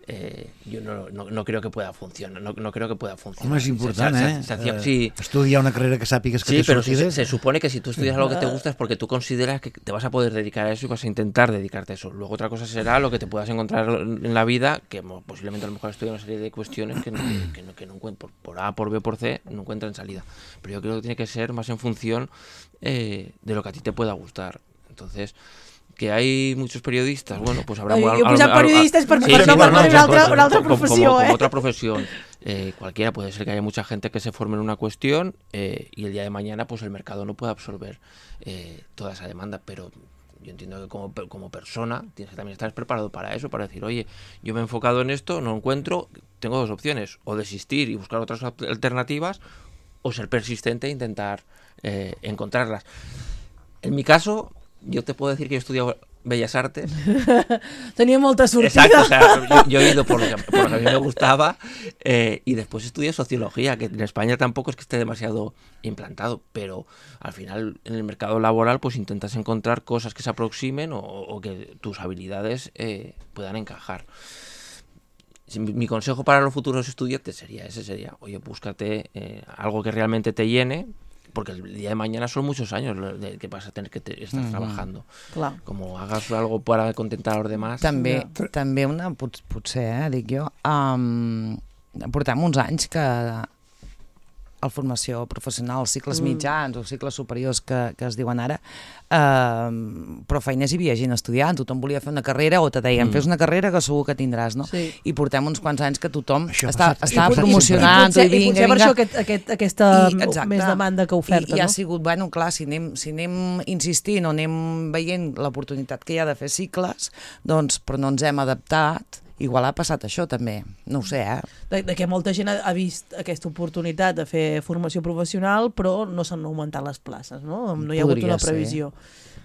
Eh, yo no, no, no creo que pueda funcionar, no, no creo que pueda funcionar. Home, és important, Se- se- eh? se hacía- Eh, sí, Estudiar una carrera que sàpigues que Sí, té pero se, sortides. se supone que si tú estudias algo que te gusta es porque tú consideras que te vas a poder dedicar a eso y vas a intentar dedicarte a eso. Luego otra cosa será lo que te puedas encontrar en la vida, que mo- posiblemente a lo mejor estudia una serie de cuestiones que no, que, que no, que no encuent- por, por A, por B o por C, no encuentran salida. Pero yo creo que tiene que ser más en función eh, de lo que a ti te pueda gustar. Entonces... que hay muchos periodistas, bueno, pues habrá... Ai, al- jo he al- posat al- al- periodistes perquè Sí, per sí, no bueno, parlar no, d'una altra, como- una altra como- professió, como, eh? como otra profesión, eh, cualquiera, puede ser que haya mucha gente que se forme en una cuestión eh, y el día de mañana pues el mercado no puede absorber eh, toda esa demanda, pero yo entiendo que como, pe- como persona tienes que también estar preparado para eso, para decir, oye, yo me he enfocado en esto, no encuentro, tengo dos opciones, o desistir y buscar otras ap- alternativas, o ser persistente e intentar eh, encontrarlas. En mi caso, yo te puedo decir que yo he estudiado Bellas Artes. Tenia molta sortida. Exacto, o sea, yo, yo he ido por lo que, por lo que a mí me gustaba eh, y después estudié Sociología, que en España tampoco es que esté demasiado implantado, pero al final en el mercado laboral pues intentas encontrar cosas que se aproximen o, o que tus habilidades eh, puedan encajar. Si Mi, mi consejo para los futuros estudiantes sería ese, sería, oye, búscate eh, algo que realmente te llene, porque el día de mañana son muchos años lo de que vas a tener que te, estar Mhm. trabajando. Clar. Como hagas algo para contentar a los demás. També, també una, pot, potser, eh, dic jo, um, portem uns anys que a la formació professional, els cicles Mm. mitjans o cicles superiors que, que es diuen ara, eh, però feiners hi havia gent estudiant, tothom volia fer una carrera o te deien, Mm. fes una carrera que segur que tindràs, no? Sí. I portem uns quants anys que tothom Això ha està, passat- està I pot- i promocionant I potser, i i potser vinga, per vinga. això aquest, aquest, aquesta I, exacte. més demanda que oferta, I, i ha no? sigut, bueno, clar, si anem, si anem insistint o anem veient l'oportunitat que hi ha de fer cicles, doncs, però no ens hem adaptat, igual ha passat això també, no ho sé, eh? De, de que molta gent ha, ha vist aquesta oportunitat de fer formació professional, però no s'han augmentat les places, no? No hi ha Podria hagut una ser. previsió.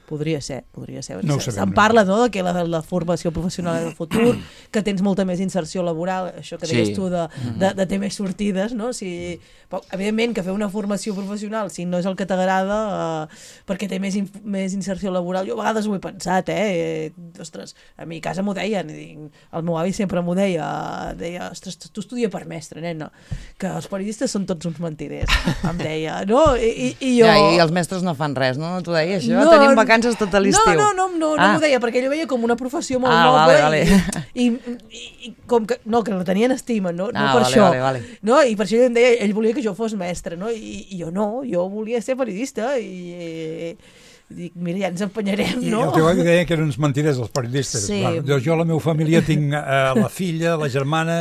Podria ser, podria ser. No ho Se- sabem, Se'n parla, no?, de que la, la formació professional és el futur, que tens molta més inserció laboral, això que deies Sí. tu de, de, de ter més sortides, no? Si, però, evidentment que fer una formació professional, si no és el que t'agrada, eh, perquè té més, in, més inserció laboral, jo a vegades ho he pensat, eh? eh ostres, a mi a casa m'ho deien, i dic, el meu avi sempre m'ho deia, deia, ostres, tu estudia per mestre, nena, que els periodistes són tots uns mentiders, em deia, no? I, i, i jo... Ja, i els mestres no fan res, no? Tu deies això? No, Tenim vacances vacances tot l'estiu. No, no, no, no, ah. no m'ho deia, perquè ell ho veia com una professió molt ah, noble vale, vale. I, i, i com que, no, que la tenien estima, no, no ah, per vale, això. Vale, vale. No? I per això ell em deia, ell volia que jo fos mestre, no? I, i jo no, jo volia ser periodista i... Dic, mira, ja ens empenyarem, no? I el teu avi deia que eren uns mentiders, els periodistes. Sí. Bueno, jo, la meva família, tinc eh, la filla, la germana,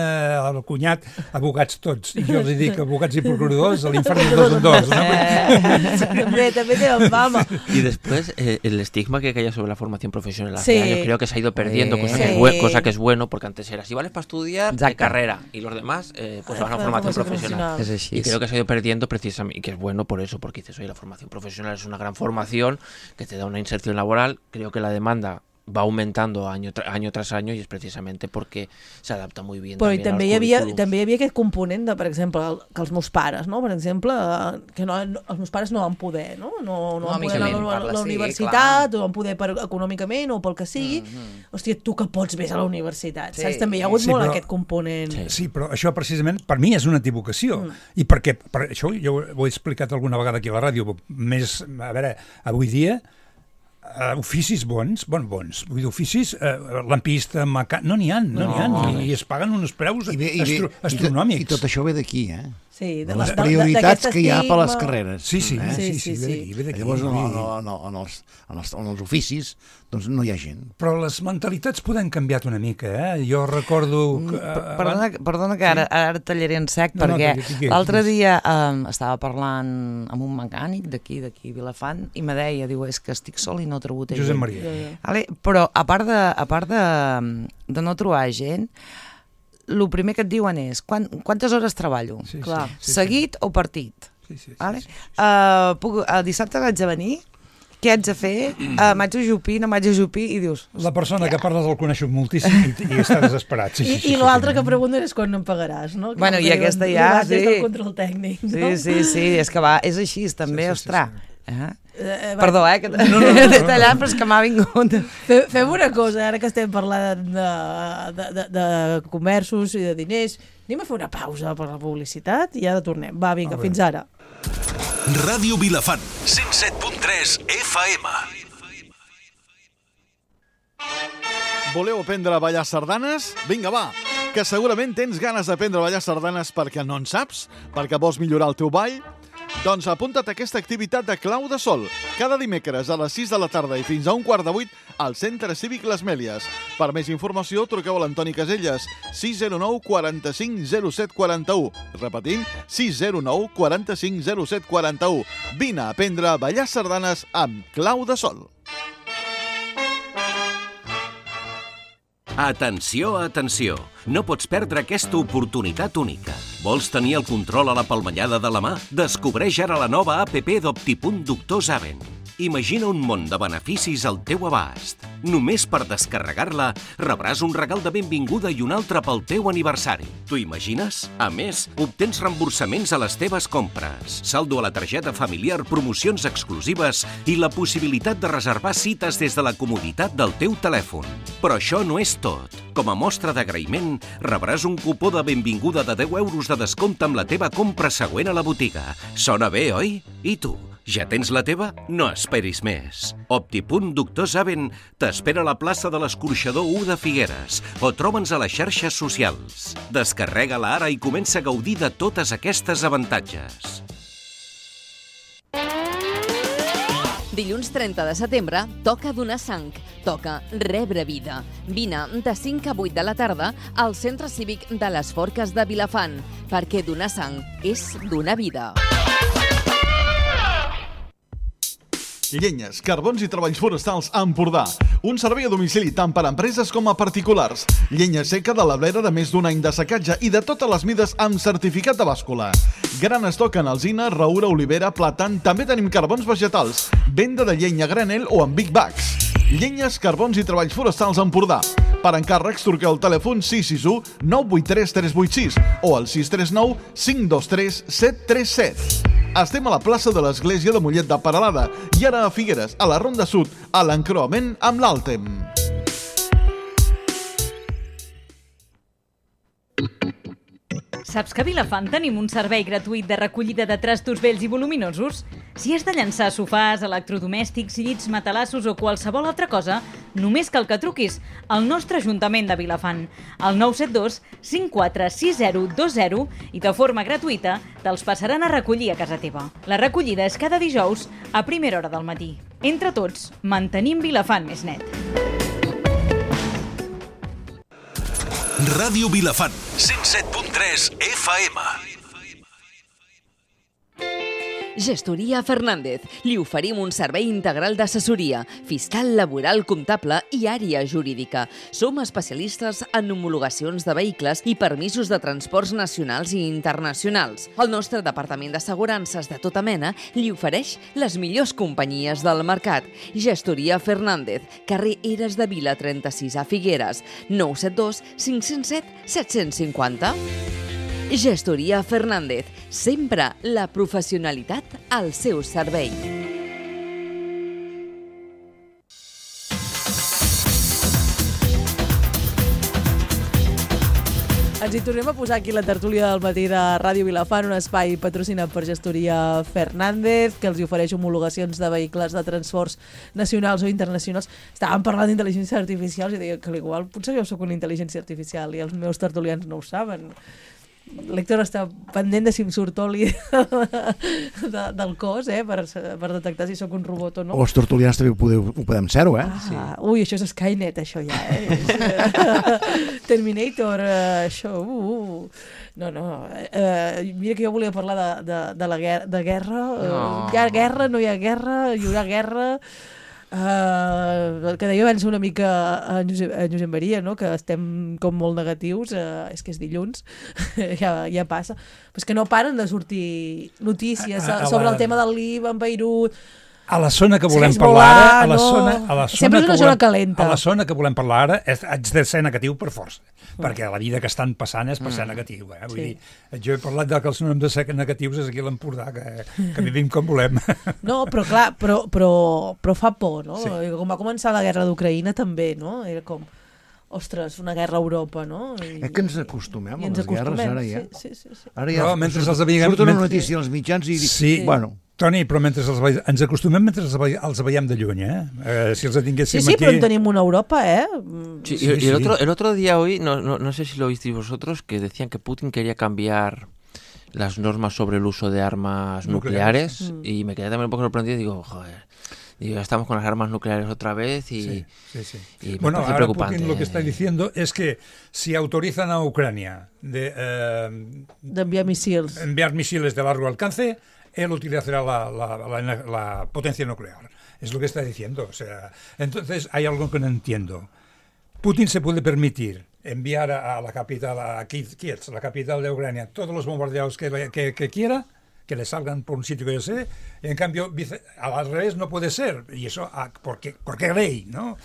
el cunyat, abogats tots. I jo els dic abogats i procuradors, a l'infern de dos en dos. ¿No? Eh, també, també tenen fama. Y después, eh, el estigma que caía sobre la formación profesional hace Sí. años, creo que se ha ido perdiendo, cosa, Sí. que es bue- cosa que es bueno, porque antes era, si vales para estudiar, de Exacte. carrera, y los demás, eh, pues van a Para formación formación profesional. És així. Y creo que se ha ido perdiendo precisamente, y que es bueno por eso, porque dices, oye, la formación profesional es una gran formación que te da una inserción laboral. Creo que la demanda va aumentando año, tra año tras año i és precisamente perquè s'adapta molt bé Però també, també als hi, havia, currículums. també hi havia aquest component de, per exemple, el, que els meus pares, no? Per exemple, eh, que no, no, els meus pares no van poder, no? No, no van poder anar a la, parla, la sí, universitat, clar. o van poder per, econòmicament o pel que sigui. Mm -hmm. Hòstia, tu que pots vés a la universitat, Sí. saps? També hi ha hagut Sí, molt però- aquest component. Sí. Sí, però això precisament per mi és una equivocació. Mm. I perquè, per això jo ho he explicat alguna vegada aquí a la ràdio, més, a veure, avui dia, uh, oficis bons, bon, bons, vull dir, oficis, uh, lampista, mecà... no n'hi ha, no n'hi ha, No. i, i es paguen uns preus I, bé, i, bé, astro i, tot, astronòmics. I tot això ve d'aquí, eh? Sí, De les prioritats que hi ha per les carreres. Sí, sí, eh? sí, sí, Sí, sí, sí, ve sí. d'aquí, ve d'aquí. Llavors, no, Vull dir, no, no, en, els, en, els, en els oficis, doncs no hi ha gent. Però les mentalitats poden canviat una mica, eh? Jo recordo... Que, Per- Perdona, perdona que ara, ara et tallaré en sec, No, no, perquè talli- digues, l'altre digues. dia um, estava parlant amb un mecànic d'aquí, d'aquí a Vilafant, i me deia, diu, és que estic sol i no he trobat gent. Josep Maria. Vale? Però a part, de, a part de, de no trobar gent, el primer que et diuen és quan, quantes hores treballo? Sí, Clar. sí, sí, Seguit o partit? Sí, sí, sí, Vale? sí, sí. Uh, puc, el dissabte haig de venir, què haig de fer? Uh, m'haig d'ajupir, no m'haig d'ajupir, i dius... La persona que parles el coneixo moltíssim i, i està desesperat. Sí, sí, I, sí, i sí, l'altre sí. que pregunten és quan em pagaràs, no? Que Bueno, em i diuen, aquesta ja, "Arribat des sí. del control tècnic, no? Sí, sí, sí, és que va, és així, també, sí, sí, ostres. sí. Eh? Eh, va, Perdó, eh, que No, no, no, no, t'he no. tallat, però és que m'ha vingut. Fe- Fem una cosa, ara que estem parlant de, de, de, de comerços i de diners, anem a fer una pausa per la publicitat i ara tornem. Va, vinga, Molt bé. fins ara. Ràdio Vilafant, cent set punt tres F M. Voleu aprendre a ballar sardanes? Vinga, va, que segurament tens ganes d'aprendre a ballar sardanes perquè no en saps, perquè vols millorar el teu ball. Doncs apunta't a aquesta activitat de Clau de Sol, cada dimecres a les sis de la tarda i fins a un quart de vuit al Centre Cívic Les Mèlies. Per més informació, truqueu a l'Antoni Caselles, sis zero nou quatre cinc zero set quatre u. Repetim, sis zero nou quatre cinc zero set quatre u. Vine a aprendre a ballar sardanes amb Clau de Sol. Atenció, atenció! No pots perdre aquesta oportunitat única. Vols tenir el control a la palmellada de la mà? Descobreix ara la nova app d'Optipunt Doctor Zaven. Imagina un món de beneficis al teu abast. Només per descarregar-la rebràs un regal de benvinguda i un altre pel teu aniversari. T'ho imagines? A més, obtens reemborsaments a les teves compres, saldo a la targeta familiar, promocions exclusives i la possibilitat de reservar cites des de la comoditat del teu telèfon. Però això no és tot. Com a mostra d'agraïment, rebràs un cupó de benvinguda de deu euros de descompte amb la teva compra següent a la botiga. Sona bé, oi? I tu? Ja tens la teva? No esperis més. Optipunt Doctor Zaven t'espera a la plaça de l'Escorxador u de Figueres o troba'ns a les xarxes socials. Descarrega-la ara i comença a gaudir de totes aquestes avantatges. Dilluns trenta de setembre toca donar sang, toca rebre vida. Vine de cinc a vuit de la tarda al Centre Cívic de les Forques de Vilafant, perquè donar sang és donar vida. Llenyes, carbons i treballs forestals a Empordà. Un servei a domicili tant per a empreses com a particulars. Llenya seca de la blera de més d'un any de secatge i de totes les mides amb certificat de bàscula. Gran estoc en alzina, raura, olivera, plàtan. També tenim carbons vegetals. Venda de llenya a granel o en big bags. Llenyes, carbons i treballs forestals a Empordà. Per encàrrecs, truqueu al telèfon sis sis u nou vuit tres tres vuit sis o al sis tres nou cinc dos tres set tres set. Estem a la plaça de l'Església de Mollet de Peralada i ara a Figueres, a la Ronda Sud, a l'encreuament amb l'Àltem. Saps que a Vilafant tenim un servei gratuït de recollida de trastos vells i voluminosos? Si has de llançar sofàs, electrodomèstics, llits, matalassos o qualsevol altra cosa, només cal que truquis al nostre Ajuntament de Vilafant, al nou set dos cinc quatre sis zero dos zero i de forma gratuïta te'ls passaran a recollir a casa teva. La recollida és cada dijous a primera hora del matí. Entre tots, mantenim Vilafant més net. Ràdio Vilafant, cent set punt tres F M. Gestoria Fernández. Li oferim un servei integral d'assessoria, fiscal, laboral, comptable i àrea jurídica. Som especialistes en homologacions de vehicles i permisos de transports nacionals i internacionals. El nostre departament d'assegurances de tota mena li ofereix les millors companyies del mercat. Gestoria Fernández, carrer Eres de Vila trenta-sis a Figueres, nou set dos cinc zero set set cinc zero. Gestoria Fernández, sempre la professionalitat al seu servei. Ens hi tornem a posar aquí la tertúlia del matí de Ràdio Vilafant, un espai patrocinat per Gestoria Fernández, que els hi ofereix homologacions de vehicles de transports nacionals o internacionals. Estàvem parlant d'intel·ligència artificial i deia que igual potser jo soc una intel·ligència artificial i els meus tertulians no ho saben. L'Héctor està pendent de si em surt oli de, del cos, eh, per, per detectar si sóc un robot o no. O els tertulians també ho, podeu, ho podem ser-ho, eh? Ah, sí. Ui, això és Skynet, això ja, eh? Terminator, uh, això... Uh, uh. No, no, uh, mira que jo volia parlar de, de, de la guerra, de guerra. No. Uh, hi ha guerra, no hi ha guerra, hi haurà guerra... Uh, el que deia abans una mica a Josep, a Josep Maria, no? Que estem com molt negatius, uh, és que és dilluns, ja, ja passa, però és que no paren de sortir notícies a, a, a sobre la... el tema del Líban, Beirut... A la zona que volem sí, parlar volar, ara, a la no. zona, a la zona sempre és una que zona volem, calenta. A la zona que volem parlar ara és, haig de ser negatiu per força, mm. perquè la vida que estan passant és per ser negatiu. Eh? Vull sí. dir, jo he parlat de que els no hem de ser negatius és aquí a l'Empordà, que, que vivim com volem. No, però clar, però, però, però fa por, no? Sí. Com va començar la guerra d'Ucraïna també, no? Era com... Ostres, una guerra a Europa, no? I, és que ens acostumem a ens les guerres, ara ja. Sí, sí, sí, sí. Ara ja no, mentre els veiem, surt una mentre... notícia als mitjans i... Sí. Bueno... Toni, però mentre els veiem, ens acostumem mentre els veiem, els veiem de lluny, eh? eh si els tinguéssim sí, sí, aquí... però en tenim una Europa, eh? Sí, sí, y, y el, otro, el otro día hoy, no, no, no sé si lo visteis vosotros, que decían que Putin quería cambiar las normas sobre el uso de armas nucleares, nucleares mm. y me quedé también un poco sorprendido y digo, joder... Digo, estamos con las armas nucleares otra vez y, sí, sí, sí. y me bueno, parece ahora preocupante. Putin lo que está diciendo es que si autorizan a Ucrania de, eh, de enviar misiles. enviar misiles de largo alcance, él utilizará la, la, la, la potencia nuclear. Es lo que está diciendo. O sea, entonces hay algo que no entiendo. Putin se puede permitir enviar a, a la capital, a Kiev, la capital de Ucrania, todos los bombardeos que, que, que quiera, que le salgan por un sitio que yo sé, y en cambio al revés no puede ser, y eso ¿por qué, por qué ley, no?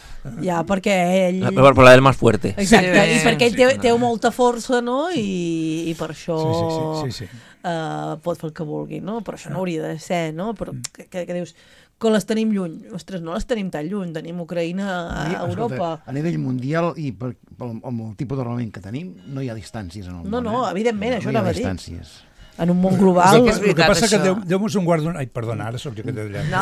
Ja, perquè ell... Per, per la del más fuerte. Exacte, sí, i perquè ell té, sí, té molta força, no? I, i per això sí, sí, sí, sí, sí. Uh, pot fer el que vulgui, no? Però això no hauria de ser, no? Però que, que, que dius que les tenim lluny. Ostres, no les tenim tan lluny, tenim Ucraïna a, a Europa. Escolta, a nivell mundial i per, per, amb el tipus d'armament que tenim, no hi ha distàncies en el no, món. No, no, evidentment, no, això no anava a dir. Distàncies. En un món global... El que, el que passa això. Que Déu, Déu mos en guarda... Ai, perdona, ara sóc jo que t'he d'allà. No.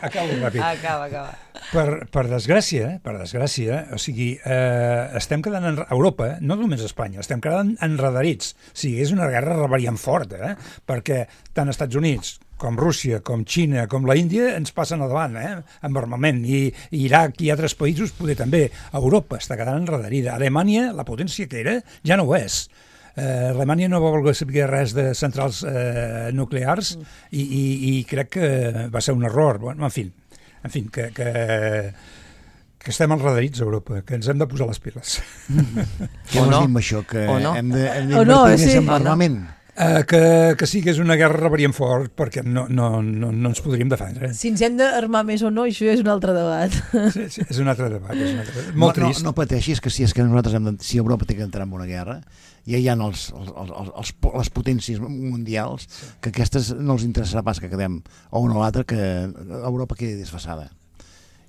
Acabo ràpid. Acaba, acaba. Per, per desgràcia, per desgràcia, o sigui, eh, estem quedant en Europa, no només a Espanya, estem quedant enredarits. O sigui, és una guerra rebariant forta, eh? Perquè tant els Estats Units com Rússia, com Xina, com la Índia, ens passen a davant, eh? Amb armament. I, i Iraq i altres països poder també. Europa està quedant enredarida. Alemanya, la potència que era, ja no ho és. Uh, Alemanya no va voler saber res de centrals uh, nuclears mm. i, i, i crec que va ser un error. Bueno, en fi, en fi que, que, que estem enredarits a Europa, que ens hem de posar les piles. Mm. Què vols dir amb això? Que no? hem d'invertir no, més sí. en armament? Uh, que, que sí que és una guerra rebariant fort perquè no, no, no, no ens podríem defendre. Si ens hem d'armar més o no, això és un altre debat. Sí, sí, és un altre debat. És un altre debat. Molt no, trist. No, no pateixis, que si és que nosaltres hem de, si Europa té que entrar en una guerra, ja hi ha els, els, els, els, les potències mundials que aquestes no els interessarà pas que quedem o una o l'altra, que Europa quedi desfassada.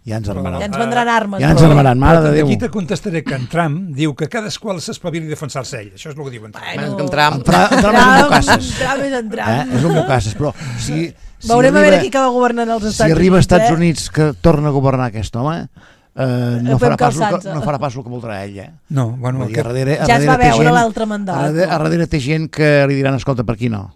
Ja ens armaran. Ja ens vendran armes. Ja ens armaran, mare de Déu. Aquí te contestaré que en Trump diu que cadascú s'espavili a defensar-se ell. Això és el que diuen. Bueno, en Trump. En Trump és un bocasses. Trump és en Trump. Eh? És un bocasses, però si... si Veurem arriba, a veure qui acaba governant els Estats Units. Si arriba als Estats eh? Units que torna a governar aquest home, eh, no, farà pas el que, no farà pas el que voldrà ell. Eh? No, bueno... Dir, a darrere, a ja es va veure gent, l'altre mandat. A darrere, a darrere té gent que li diran, escolta, per aquí no.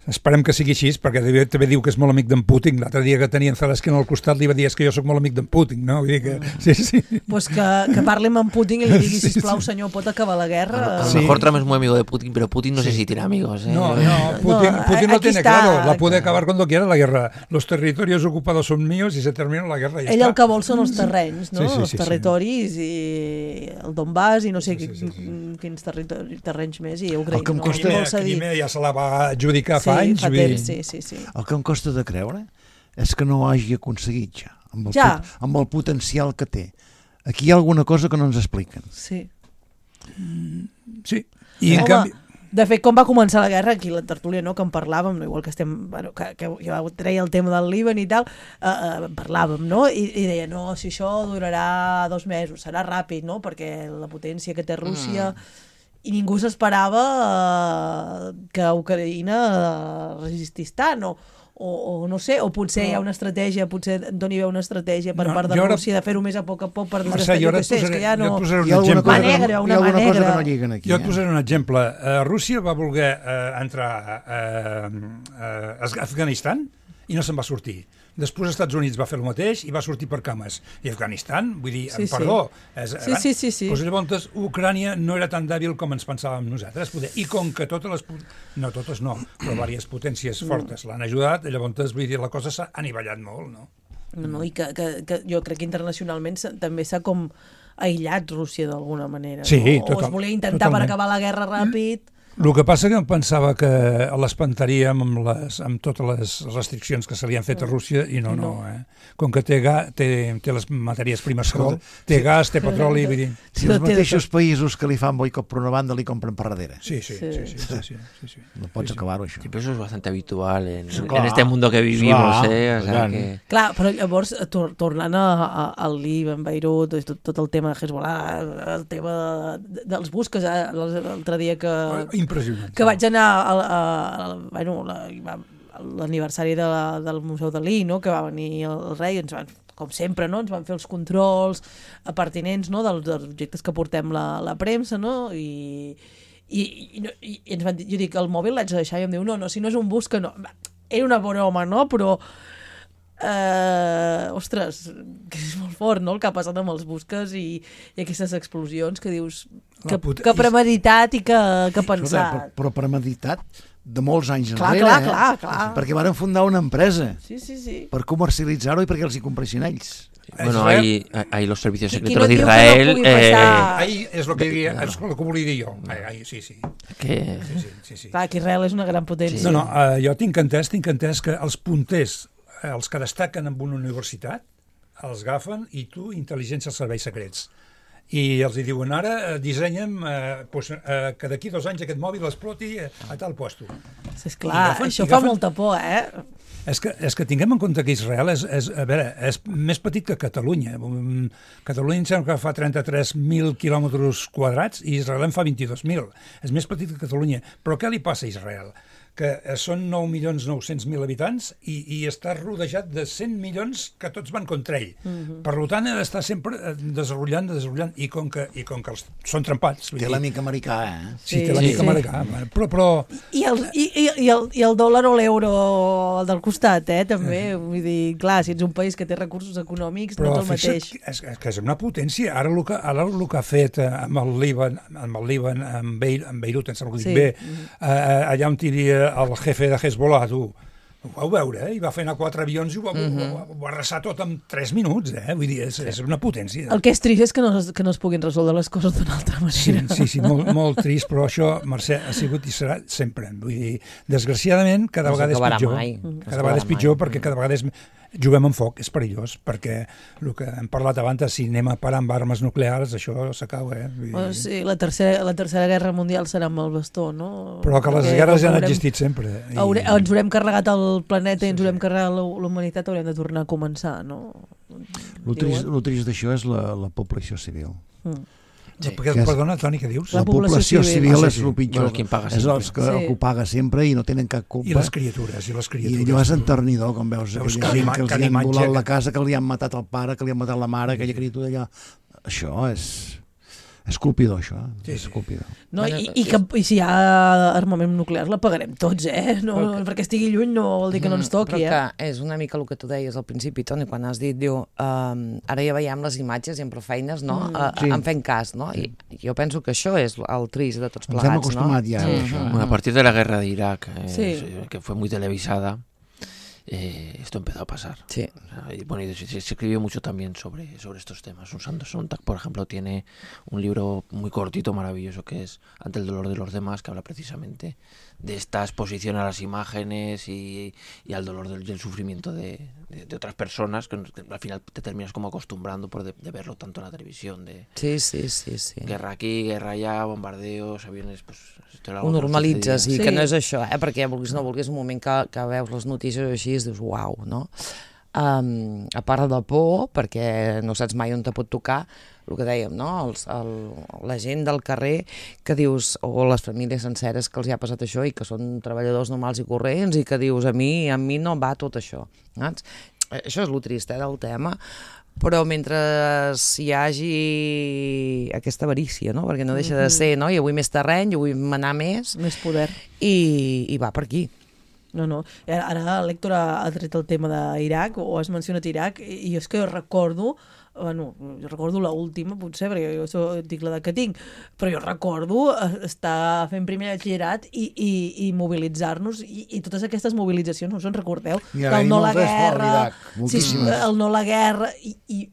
Esperem que sigui així, perquè també diu que és molt amic d'en Putin. L'altre dia que tenien Zelensky al costat li va dir que jo sóc molt amic d'en Putin, no? Vull dir que... Sí, sí. Pues que, que parli amb en Putin i li digui, sisplau, senyor, pot acabar la guerra? A lo sí. mejor Trump es muy amigo de Putin, pero Putin no sí. sé si tiene amigos. ¿eh? No, no, Putin, no, Putin lo tiene está, claro. La puede acabar cuando quiera la guerra. Los territorios ocupados son míos y se termina la guerra. Ell el que vol són els terrenys, no? Sí, sí, sí, els territoris sí. i el Donbass i no sé sí, sí, sí, sí. quins terrenys més i Ucraïna. El que em costa... no? Crimea ja se la va adjudicar fa sí, anys. Fa temps, sí, sí, sí. El que em costa de creure és que no ho hagi aconseguit ja, amb el, ja. pot, amb el potencial que té. Aquí hi ha alguna cosa que no ens expliquen. Sí. Mm, sí. I Home, en canvi... de fet, com va començar la guerra, aquí a la tertúlia, no, que en parlàvem, igual que estem, bueno, que, que jo treia el tema del Líban i tal, eh, eh, parlàvem, no? I, i deia, no, si això durarà dos mesos, serà ràpid, no? Perquè la potència que té Rússia... Mm. I ningú s'esperava eh, que Ucraïna eh, resistís tant, o, o, o no sé, o potser hi ha una estratègia, potser Antoni veu una estratègia per no, part de ara... Rússia de fer-ho més a poc a poc per desgastar, jo què sé, és que ja no... Hi ha alguna cosa negra, una mà negra. Cosa que no lliguen aquí. Jo et posaré un exemple. Uh, Rússia va voler uh, entrar uh, uh, a Afganistan i no se'n va sortir. Després els Estats Units va fer el mateix i va sortir per cames. I Afganistan, vull dir, sí, perdó, sí. És, sí, sí, sí, sí. Doncs llavors Ucrània no era tan dèbil com ens pensàvem nosaltres. I com que totes les... No, totes no, però diverses potències fortes l'han ajudat, llavors vull dir, la cosa s'ha anivellat molt, no? No, no, i que, que, que jo crec que internacionalment també s'ha com aïllat Rússia d'alguna manera. Sí, no? total, o es volia intentar totalment. Per acabar la guerra ràpid... El que passa que em pensava que l'espantaríem amb, les, amb totes les restriccions que se li han fet a Rússia i no, no, eh? Com que té, ga, té, té les matèries primes que vol, té gas, té petroli... Vull dir... Si els mateixos països que li fan boicot per una banda li compren per darrere. Sí, sí, sí. sí, sí, sí, sí, sí. No pots sí, acabar-ho, això. Sí, però això és bastant habitual en, sí, en este mundo que vivimos, clar, eh? O sea, que... Clar, però llavors, tor tornant a, a, al Líban, Beirut, tot, tot el tema de Hezbollah, el tema de, dels busques, eh? l'altre dia que... Impressionant. Que vaig anar a, a, a, bueno, l'aniversari de la, del Museu Dalí, no? Que va venir el rei, ens van, com sempre, no? Ens van fer els controls pertinents, no? dels, dels objectes que portem la, la premsa, no? I, i, i, i ens van dir, jo dic, el mòbil l'haig de deixar, i em diu, no, no, si no és un bus que no... Era una broma, no? Però... Uh, ostres, que és molt fort, no?, el que ha passat amb els busques i, i aquestes explosions que dius que, puta, que premeditat i que, que pensat. Però, però premeditat de molts anys clar, enrere, clar, eh? clar, clar. Perquè varen fundar una empresa sí, sí, sí. per comercialitzar-ho i perquè els hi compressin ells. Bueno, ahí, ahí los servicios secretos de Israel... No eh... Ahí és el que, diria, és el que volia dir jo. Ahí, ahí, sí, sí. Que... sí, sí, sí, sí. Clar, que Israel és una gran potència. Sí. No, no, uh, jo tinc entès, tinc entès que els punters, els que destaquen en una universitat, els agafen i tu, intel·ligència als serveis secrets. I els hi diuen, ara dissenyem eh, pues, eh, que d'aquí dos anys aquest mòbil exploti a tal puesto. Sí, és clar, agafen, això fa agafen... molta por, eh? És que, és que tinguem en compte que Israel és, és, a veure, és més petit que Catalunya. Catalunya em sembla que fa trenta-tres mil quilòmetres quadrats i Israel en fa vint-i-dos mil. És més petit que Catalunya. Però què li passa a Israel? Que són nou milions nou-cents mil habitants i, i està rodejat de cent milions que tots van contra ell. Uh-huh. Per tant, ha d'estar sempre desenvolupant, desenvolupant, i com que, i com que els, són trempats. Té l'amic americà, eh? Sí, sí té l'amic sí. americà. Però, però... I, el, i, i, el, I el dòlar o l'euro del costat, eh, també. Uh-huh. Vull dir, clar, si ets un país que té recursos econòmics, però no és el mateix. És, és una potència. Ara el que, ara el que ha fet amb el Líban, amb el Líban, amb, Beir, amb Beirut, em sembla que ho dic sí. bé, uh-huh. eh, allà on hi havia el jefe de Hezbollah, tu, ho vau veure, eh? I va fer anar quatre avions i ho va, uh-huh. ho, ho, ho va arrasar tot en tres minuts, eh? Vull dir, és, és una potència. El que és trist és que no, que no es puguin resoldre les coses d'una altra manera. Sí, sí, sí molt, molt trist, però això, Mercè, ha sigut i serà sempre. Vull dir, desgraciadament, cada no vegada és pitjor. Mai. Cada vegada és pitjor mai. Perquè cada vegada és, juguem amb foc, és perillós, perquè el que hem parlat abans, si anem a parar amb armes nuclears, això s'acaba, eh? Vull dir... Oh, sí, la tercera, la tercera guerra mundial serà amb el bastó, no? Però que les Perquè guerres ja han haurem, existit sempre. I... Haurem, ens haurem carregat el planeta i ens haurem carregat la, la humanitat, haurem de tornar a començar, no? El trist, el trist d'això és la, la població civil. Mm. Sí. Perdona, Toni, què dius? La, la població, població civil, civil és el pitjor. Bueno, paga és els que, sí. que ho paga sempre i no tenen cap culpa. I les criatures. I, les criatures. I allò és enternidor, com veus, veus aquella gent que els hi han volat la casa, que li han matat el pare, que li han matat la mare, aquella criatura allà. Això és... És colpidor, això. Sí, és colpidor. No, i, i, que, I si hi ha armament nuclear la pagarem tots, eh? No, que, perquè estigui lluny no vol dir que no ens toqui, però eh? Que és una mica el que tu deies al principi, Toni, quan has dit, diu, um, ara ja veiem les imatges i amb prou feines, no? Mm. Uh, sí. En fent cas, no? I jo penso que això és el trist de tots plegats, no? Ens hem acostumat ja a això. Bueno, a partir de la guerra de Irak, eh, sí. que fue muy televisada, Eh, esto empezó a pasar. Sí. O sea, y, bueno, y se, se escribió mucho también sobre, sobre estos temas. Un Sandro Sontag, por ejemplo, tiene un libro muy cortito, maravilloso, que es Ante el dolor de los demás, que habla precisamente de esta exposición a las imágenes y, y al dolor del, del sufrimiento de, de, de otras personas, que al final te terminas como acostumbrando por de, de verlo tanto en la televisión, de sí, sí, sí, sí. guerra aquí, guerra allá, bombardeos, aviones, pues... Ho normalitzes, i sí. Que no és això, eh? Perquè vulguis no vulguis, un moment que, que veus les notícies així, dius, uau, no? Um, a part de por, perquè no saps mai on te pot tocar, el que dèiem, no? Els, el, la gent del carrer que dius, o les famílies senceres que els hi ha passat això i que són treballadors normals i corrents i que dius, a mi, a mi no va tot això. Saps? Això és el trist, eh, del tema. Però mentre hi hagi aquesta avarícia, no? Perquè no deixa de ser, no? Jo vull més terreny, jo vull manar més. Més poder. I, i va per aquí. No, no. Ara l'Héctor ha tret el tema d'Iraq, o has mencionat Iraq, i és que jo recordo, bueno, jo recordo l'última, potser, perquè jo dic l'edat que tinc, però jo recordo estar fent primer batxillerat i, i, i mobilitzar-nos, i, i totes aquestes mobilitzacions, no us en recordeu? Ja, el no la guerra, sí, el no la guerra, i, i,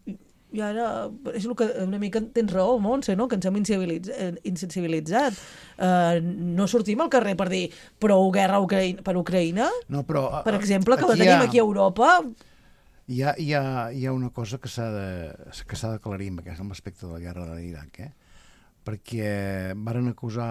i ara és el que una mica tens raó, Montse, no? Que ens hem insensibilitzat. Uh, no sortim al carrer per dir prou guerra Ucraïna, per Ucraïna, no, però, per exemple, que la tenim ha... aquí a Europa. Hi ha, hi ha, hi ha una cosa que s'ha de, que s'ha d'aclarir amb l'aspecte de la guerra de l'Iraq, eh? Perquè varen acusar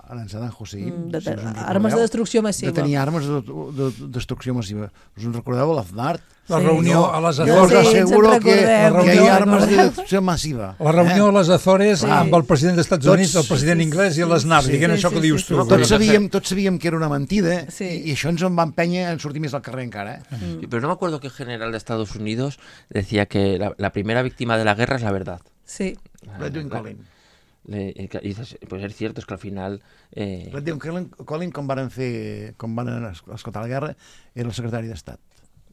a Saddam Hussein mm, de, de, si armes de destrucció massiva, de tenir armes de, de, de destrucció massiva. Us en recordeu l'Aznar? La reunió sí, a les Azores. Jo us asseguro que, que hi ha armes de destrucció massiva. La reunió eh? a les Azores sí. amb el president dels Estats Units, tots, el president sí, inglès i l'Aznar, sí, diguent sí, això sí, que dius tu. Sí, tots, sabíem, tots sabíem que era una mentida sí. i això ens en va empènyer a sortir més al carrer encara. Eh? Mm. Sí, pero no me acuerdo que el general de Estados Unidos decía que la, la primera víctima de la guerra es la verdad. Sí. Redwin Collin. Le, y dices, pues es cierto, es que al final... Eh... Redwin Collin, Collin quan van fer, quan van escoltar la guerra, era el secretari d'Estat.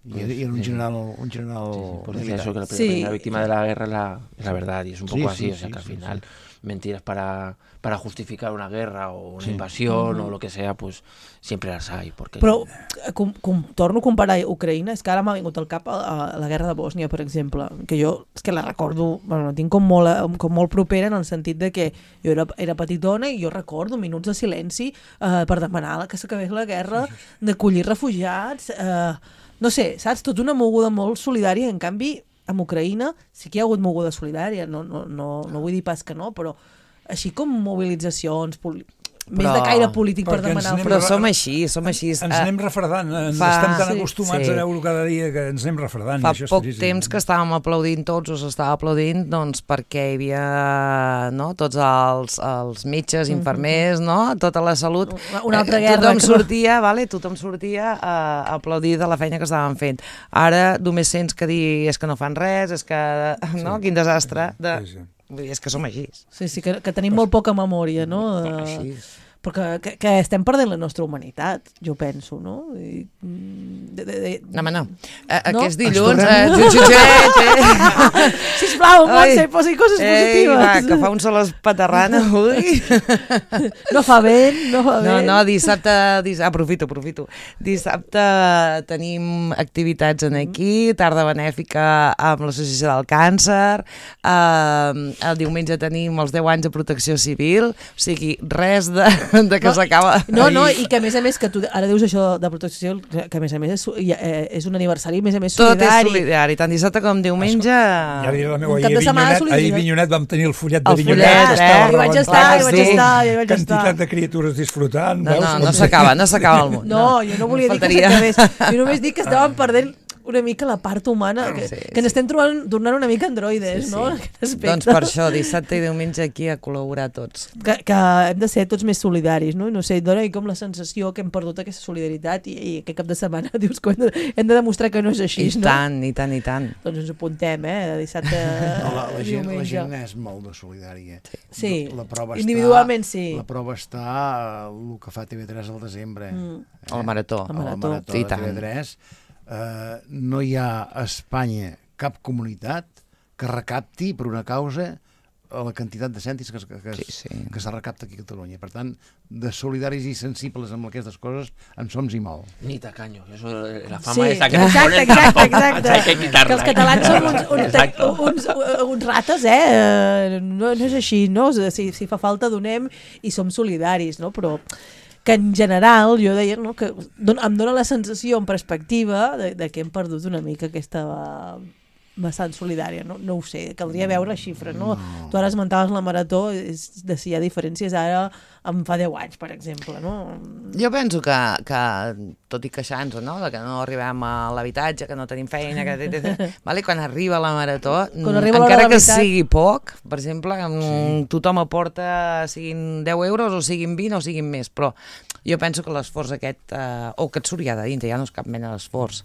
Y pues, era un general, un general sí, sí, pues militar. Eso, que la sí. primera víctima de la guerra es la, es la verdad, y es un poco sí, así, sí, o sea, sí, que al sí, final sí. mentiras para, para justificar una guerra o una sí. invasión uh-huh. o lo que sea, pues siempre las hay. Porque... Però com, com, torno a comparar Ucraïna, és que ara m'ha vingut al cap a, a la guerra de Bòsnia, per exemple, que jo és que la recordo, bueno, la tinc com molt, com molt propera en el sentit de que jo era, era petitona i jo recordo minuts de silenci eh, per demanar que s'acabés la guerra, d'acollir refugiats... Eh, no sé, saps? Tot una moguda molt solidària. En canvi, amb Ucraïna sí que hi ha hagut moguda solidària. No, no, no, no vull dir pas que no, però així com mobilitzacions, poli... més però, de caire polític per demanar... Però som així, som així. Ens anem refredant, ens fa, estem tan sí, acostumats sí. a veure cada dia que ens anem refredant. Fa i això poc és temps que estàvem aplaudint tots, us estava aplaudint, doncs perquè hi havia no, tots els, els metges, infermers, no, tota la salut. Una altra guerra. Tothom sortia, vale, tothom sortia a aplaudir de la feina que estàvem fent. Ara només sents que dir és que no fan res, és que, no, sí. quin desastre. De... Sí, sí. Vull dir, és que som així. Sí, sí, que, que tenim molt poca memòria, no? Així. Perquè que, que estem perdent la nostra humanitat, jo penso, no? I, de, de, de... No, home, no. A, no? Aquest dilluns... Eh, Sisplau, Montse, posi coses ei, positives. Va, que fa un sol espaterrana, ui. No fa vent, no fa vent. No, no, dissabte... Diss... Aprofito, aprofito. Dissabte tenim activitats en aquí, tarda benèfica amb l'Associació del Càncer, eh, el diumenge tenim els deu anys de protecció civil, o sigui, res de... de que s'acaba. No, no, i que a més a més, que tu ara dius això de protecció civil, que a més a més és, és un aniversari, a més a més solidari. Tot és solidari, tant dissabte com diumenge. Ja diré la meva, Un cap ahir de a setmana Vinyonet, ahir a solidari. Vinyonet vam tenir el follet de El Vinyonet. follet, estava eh? Hi vaig estar, rebentat. hi vaig estar, hi vaig estar. Quantitat de criatures disfrutant. No, veus? no, no s'acaba, no s'acaba el món. No, jo no volia dir que s'acabés. Jo només dic que estàvem perdent una mica la part humana, que, Sí, que n'estem trobant, tornant una mica androides, Sí, sí. no? En aquest aspecte. Doncs per això, dissabte i diumenge aquí a col·laborar tots. Que, que hem de ser tots més solidaris, no? No sé, dona com la sensació que hem perdut aquesta solidaritat i, i aquest cap de setmana dius que hem de, hem de demostrar que no és així, I no? tant, i tant, i tant. Doncs ens apuntem, eh? De dissabte No, la, la, gent, la diumenge. gent és molt de solidària. Sí, La prova individualment està, sí. La prova està el que fa T V tres al desembre. Mm. Eh? El marató. El marató. El marató I de tant. T V tres. Uh, no hi ha a Espanya cap comunitat que recapti per una causa la quantitat de cèntims que, que, Sí, sí. que se recapta aquí a Catalunya. Per tant, de solidaris i sensibles amb aquestes coses en som i molt. Ni tacaño. Eso, la fama Sí, esa que exacte, nos ponen exacte, tampoco, exacte. hay que quitarla. Que els catalans som uns, uns, Exacto. uns, uns rates, eh? Eh, No, no és així, no? Si, si fa falta donem i som solidaris, no? Però que en general, jo deia, no? Que don, em dóna la sensació en perspectiva de, de que hem perdut una mica aquesta vessant solidària, no? No ho sé, caldria veure xifres, no? no? Tu ara esmentaves la marató, és de si hi ha diferències ara em fa deu anys, per exemple, no? Jo penso que, que tot i queixant-nos, no?, de que no arribem a l'habitatge, que no tenim feina, que... vale? Quan arriba la marató, Quan arriba l'hora encara de la que veritat. sigui poc, per exemple, sí. tothom aporta, siguin deu euros o siguin vint o siguin més, però jo penso que l'esforç aquest, eh, o que et surt ja de dintre, ja no és cap mena d'esforç.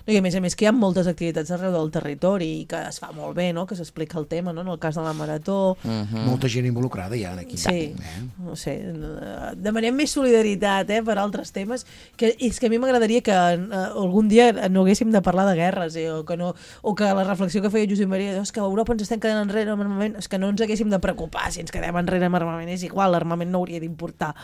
No, i a més a més que hi ha moltes activitats arreu del territori i que es fa molt bé, no? Que s'explica el tema, no? En el cas de la marató. Mm. Molta gent involucrada ja aquí. Sí, Eh? no sé, eh, demanem més solidaritat, eh, per altres temes, que és que a mi m'agradaria que eh, algun dia no haguéssim de parlar de guerres, eh, o, que no, o que la reflexió que feia Josep Maria, és que a Europa ens estem quedant enrere amb armament, és que no ens haguéssim de preocupar si ens quedem enrere amb armament, és igual, l'armament no hauria d'importar.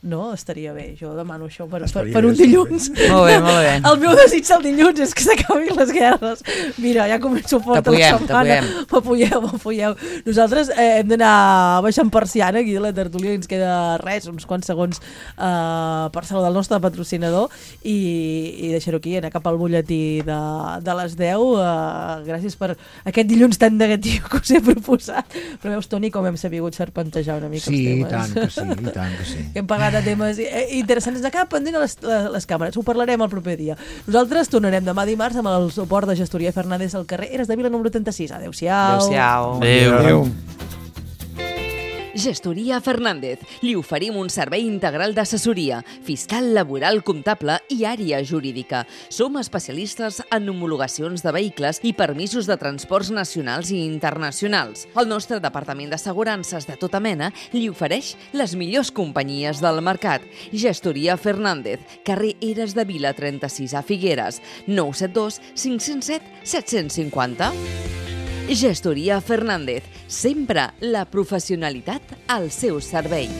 No? Estaria bé, jo demano això per, per, per un dilluns. Molt bé, molt bé. El meu desig del dilluns és que s'acabin les guerres. Mira, ja començo fort a la setmana. M'apoyeu, m'apoyeu. Nosaltres eh, hem d'anar baixant persiana aquí de la tertúlia, ens queda res, uns quants segons eh, per saludar el nostre patrocinador i, i deixar-ho aquí, anar cap al butlletí de, de les deu. Eh, gràcies per aquest dilluns tan negatiu que us he proposat. Però veus, Toni, com hem sabut serpentejar una mica Sí, els i temes. tant que sí, i tant que sí. Hem parlat de temes interessants. Ens acaba pendent a les, les càmeres. Ho parlarem el proper dia. Nosaltres tornarem demà dimarts amb el suport de Gestoria Fernández al carrer Eres de Vila número trenta-sis. Adéu-siau. Adéu-siau. Adéu. Adéu. Gestoria Fernández. Li oferim un servei integral d'assessoria, fiscal, laboral, comptable i àrea jurídica. Som especialistes en homologacions de vehicles i permisos de transports nacionals i internacionals. El nostre departament d'assegurances de tota mena li ofereix les millors companyies del mercat. Gestoria Fernández, carrer Eres de Vila trenta-sis a Figueres, nou set dos cinc zero set set cinc zero. Gestoria Fernández, sempre la professionalitat al seu servei.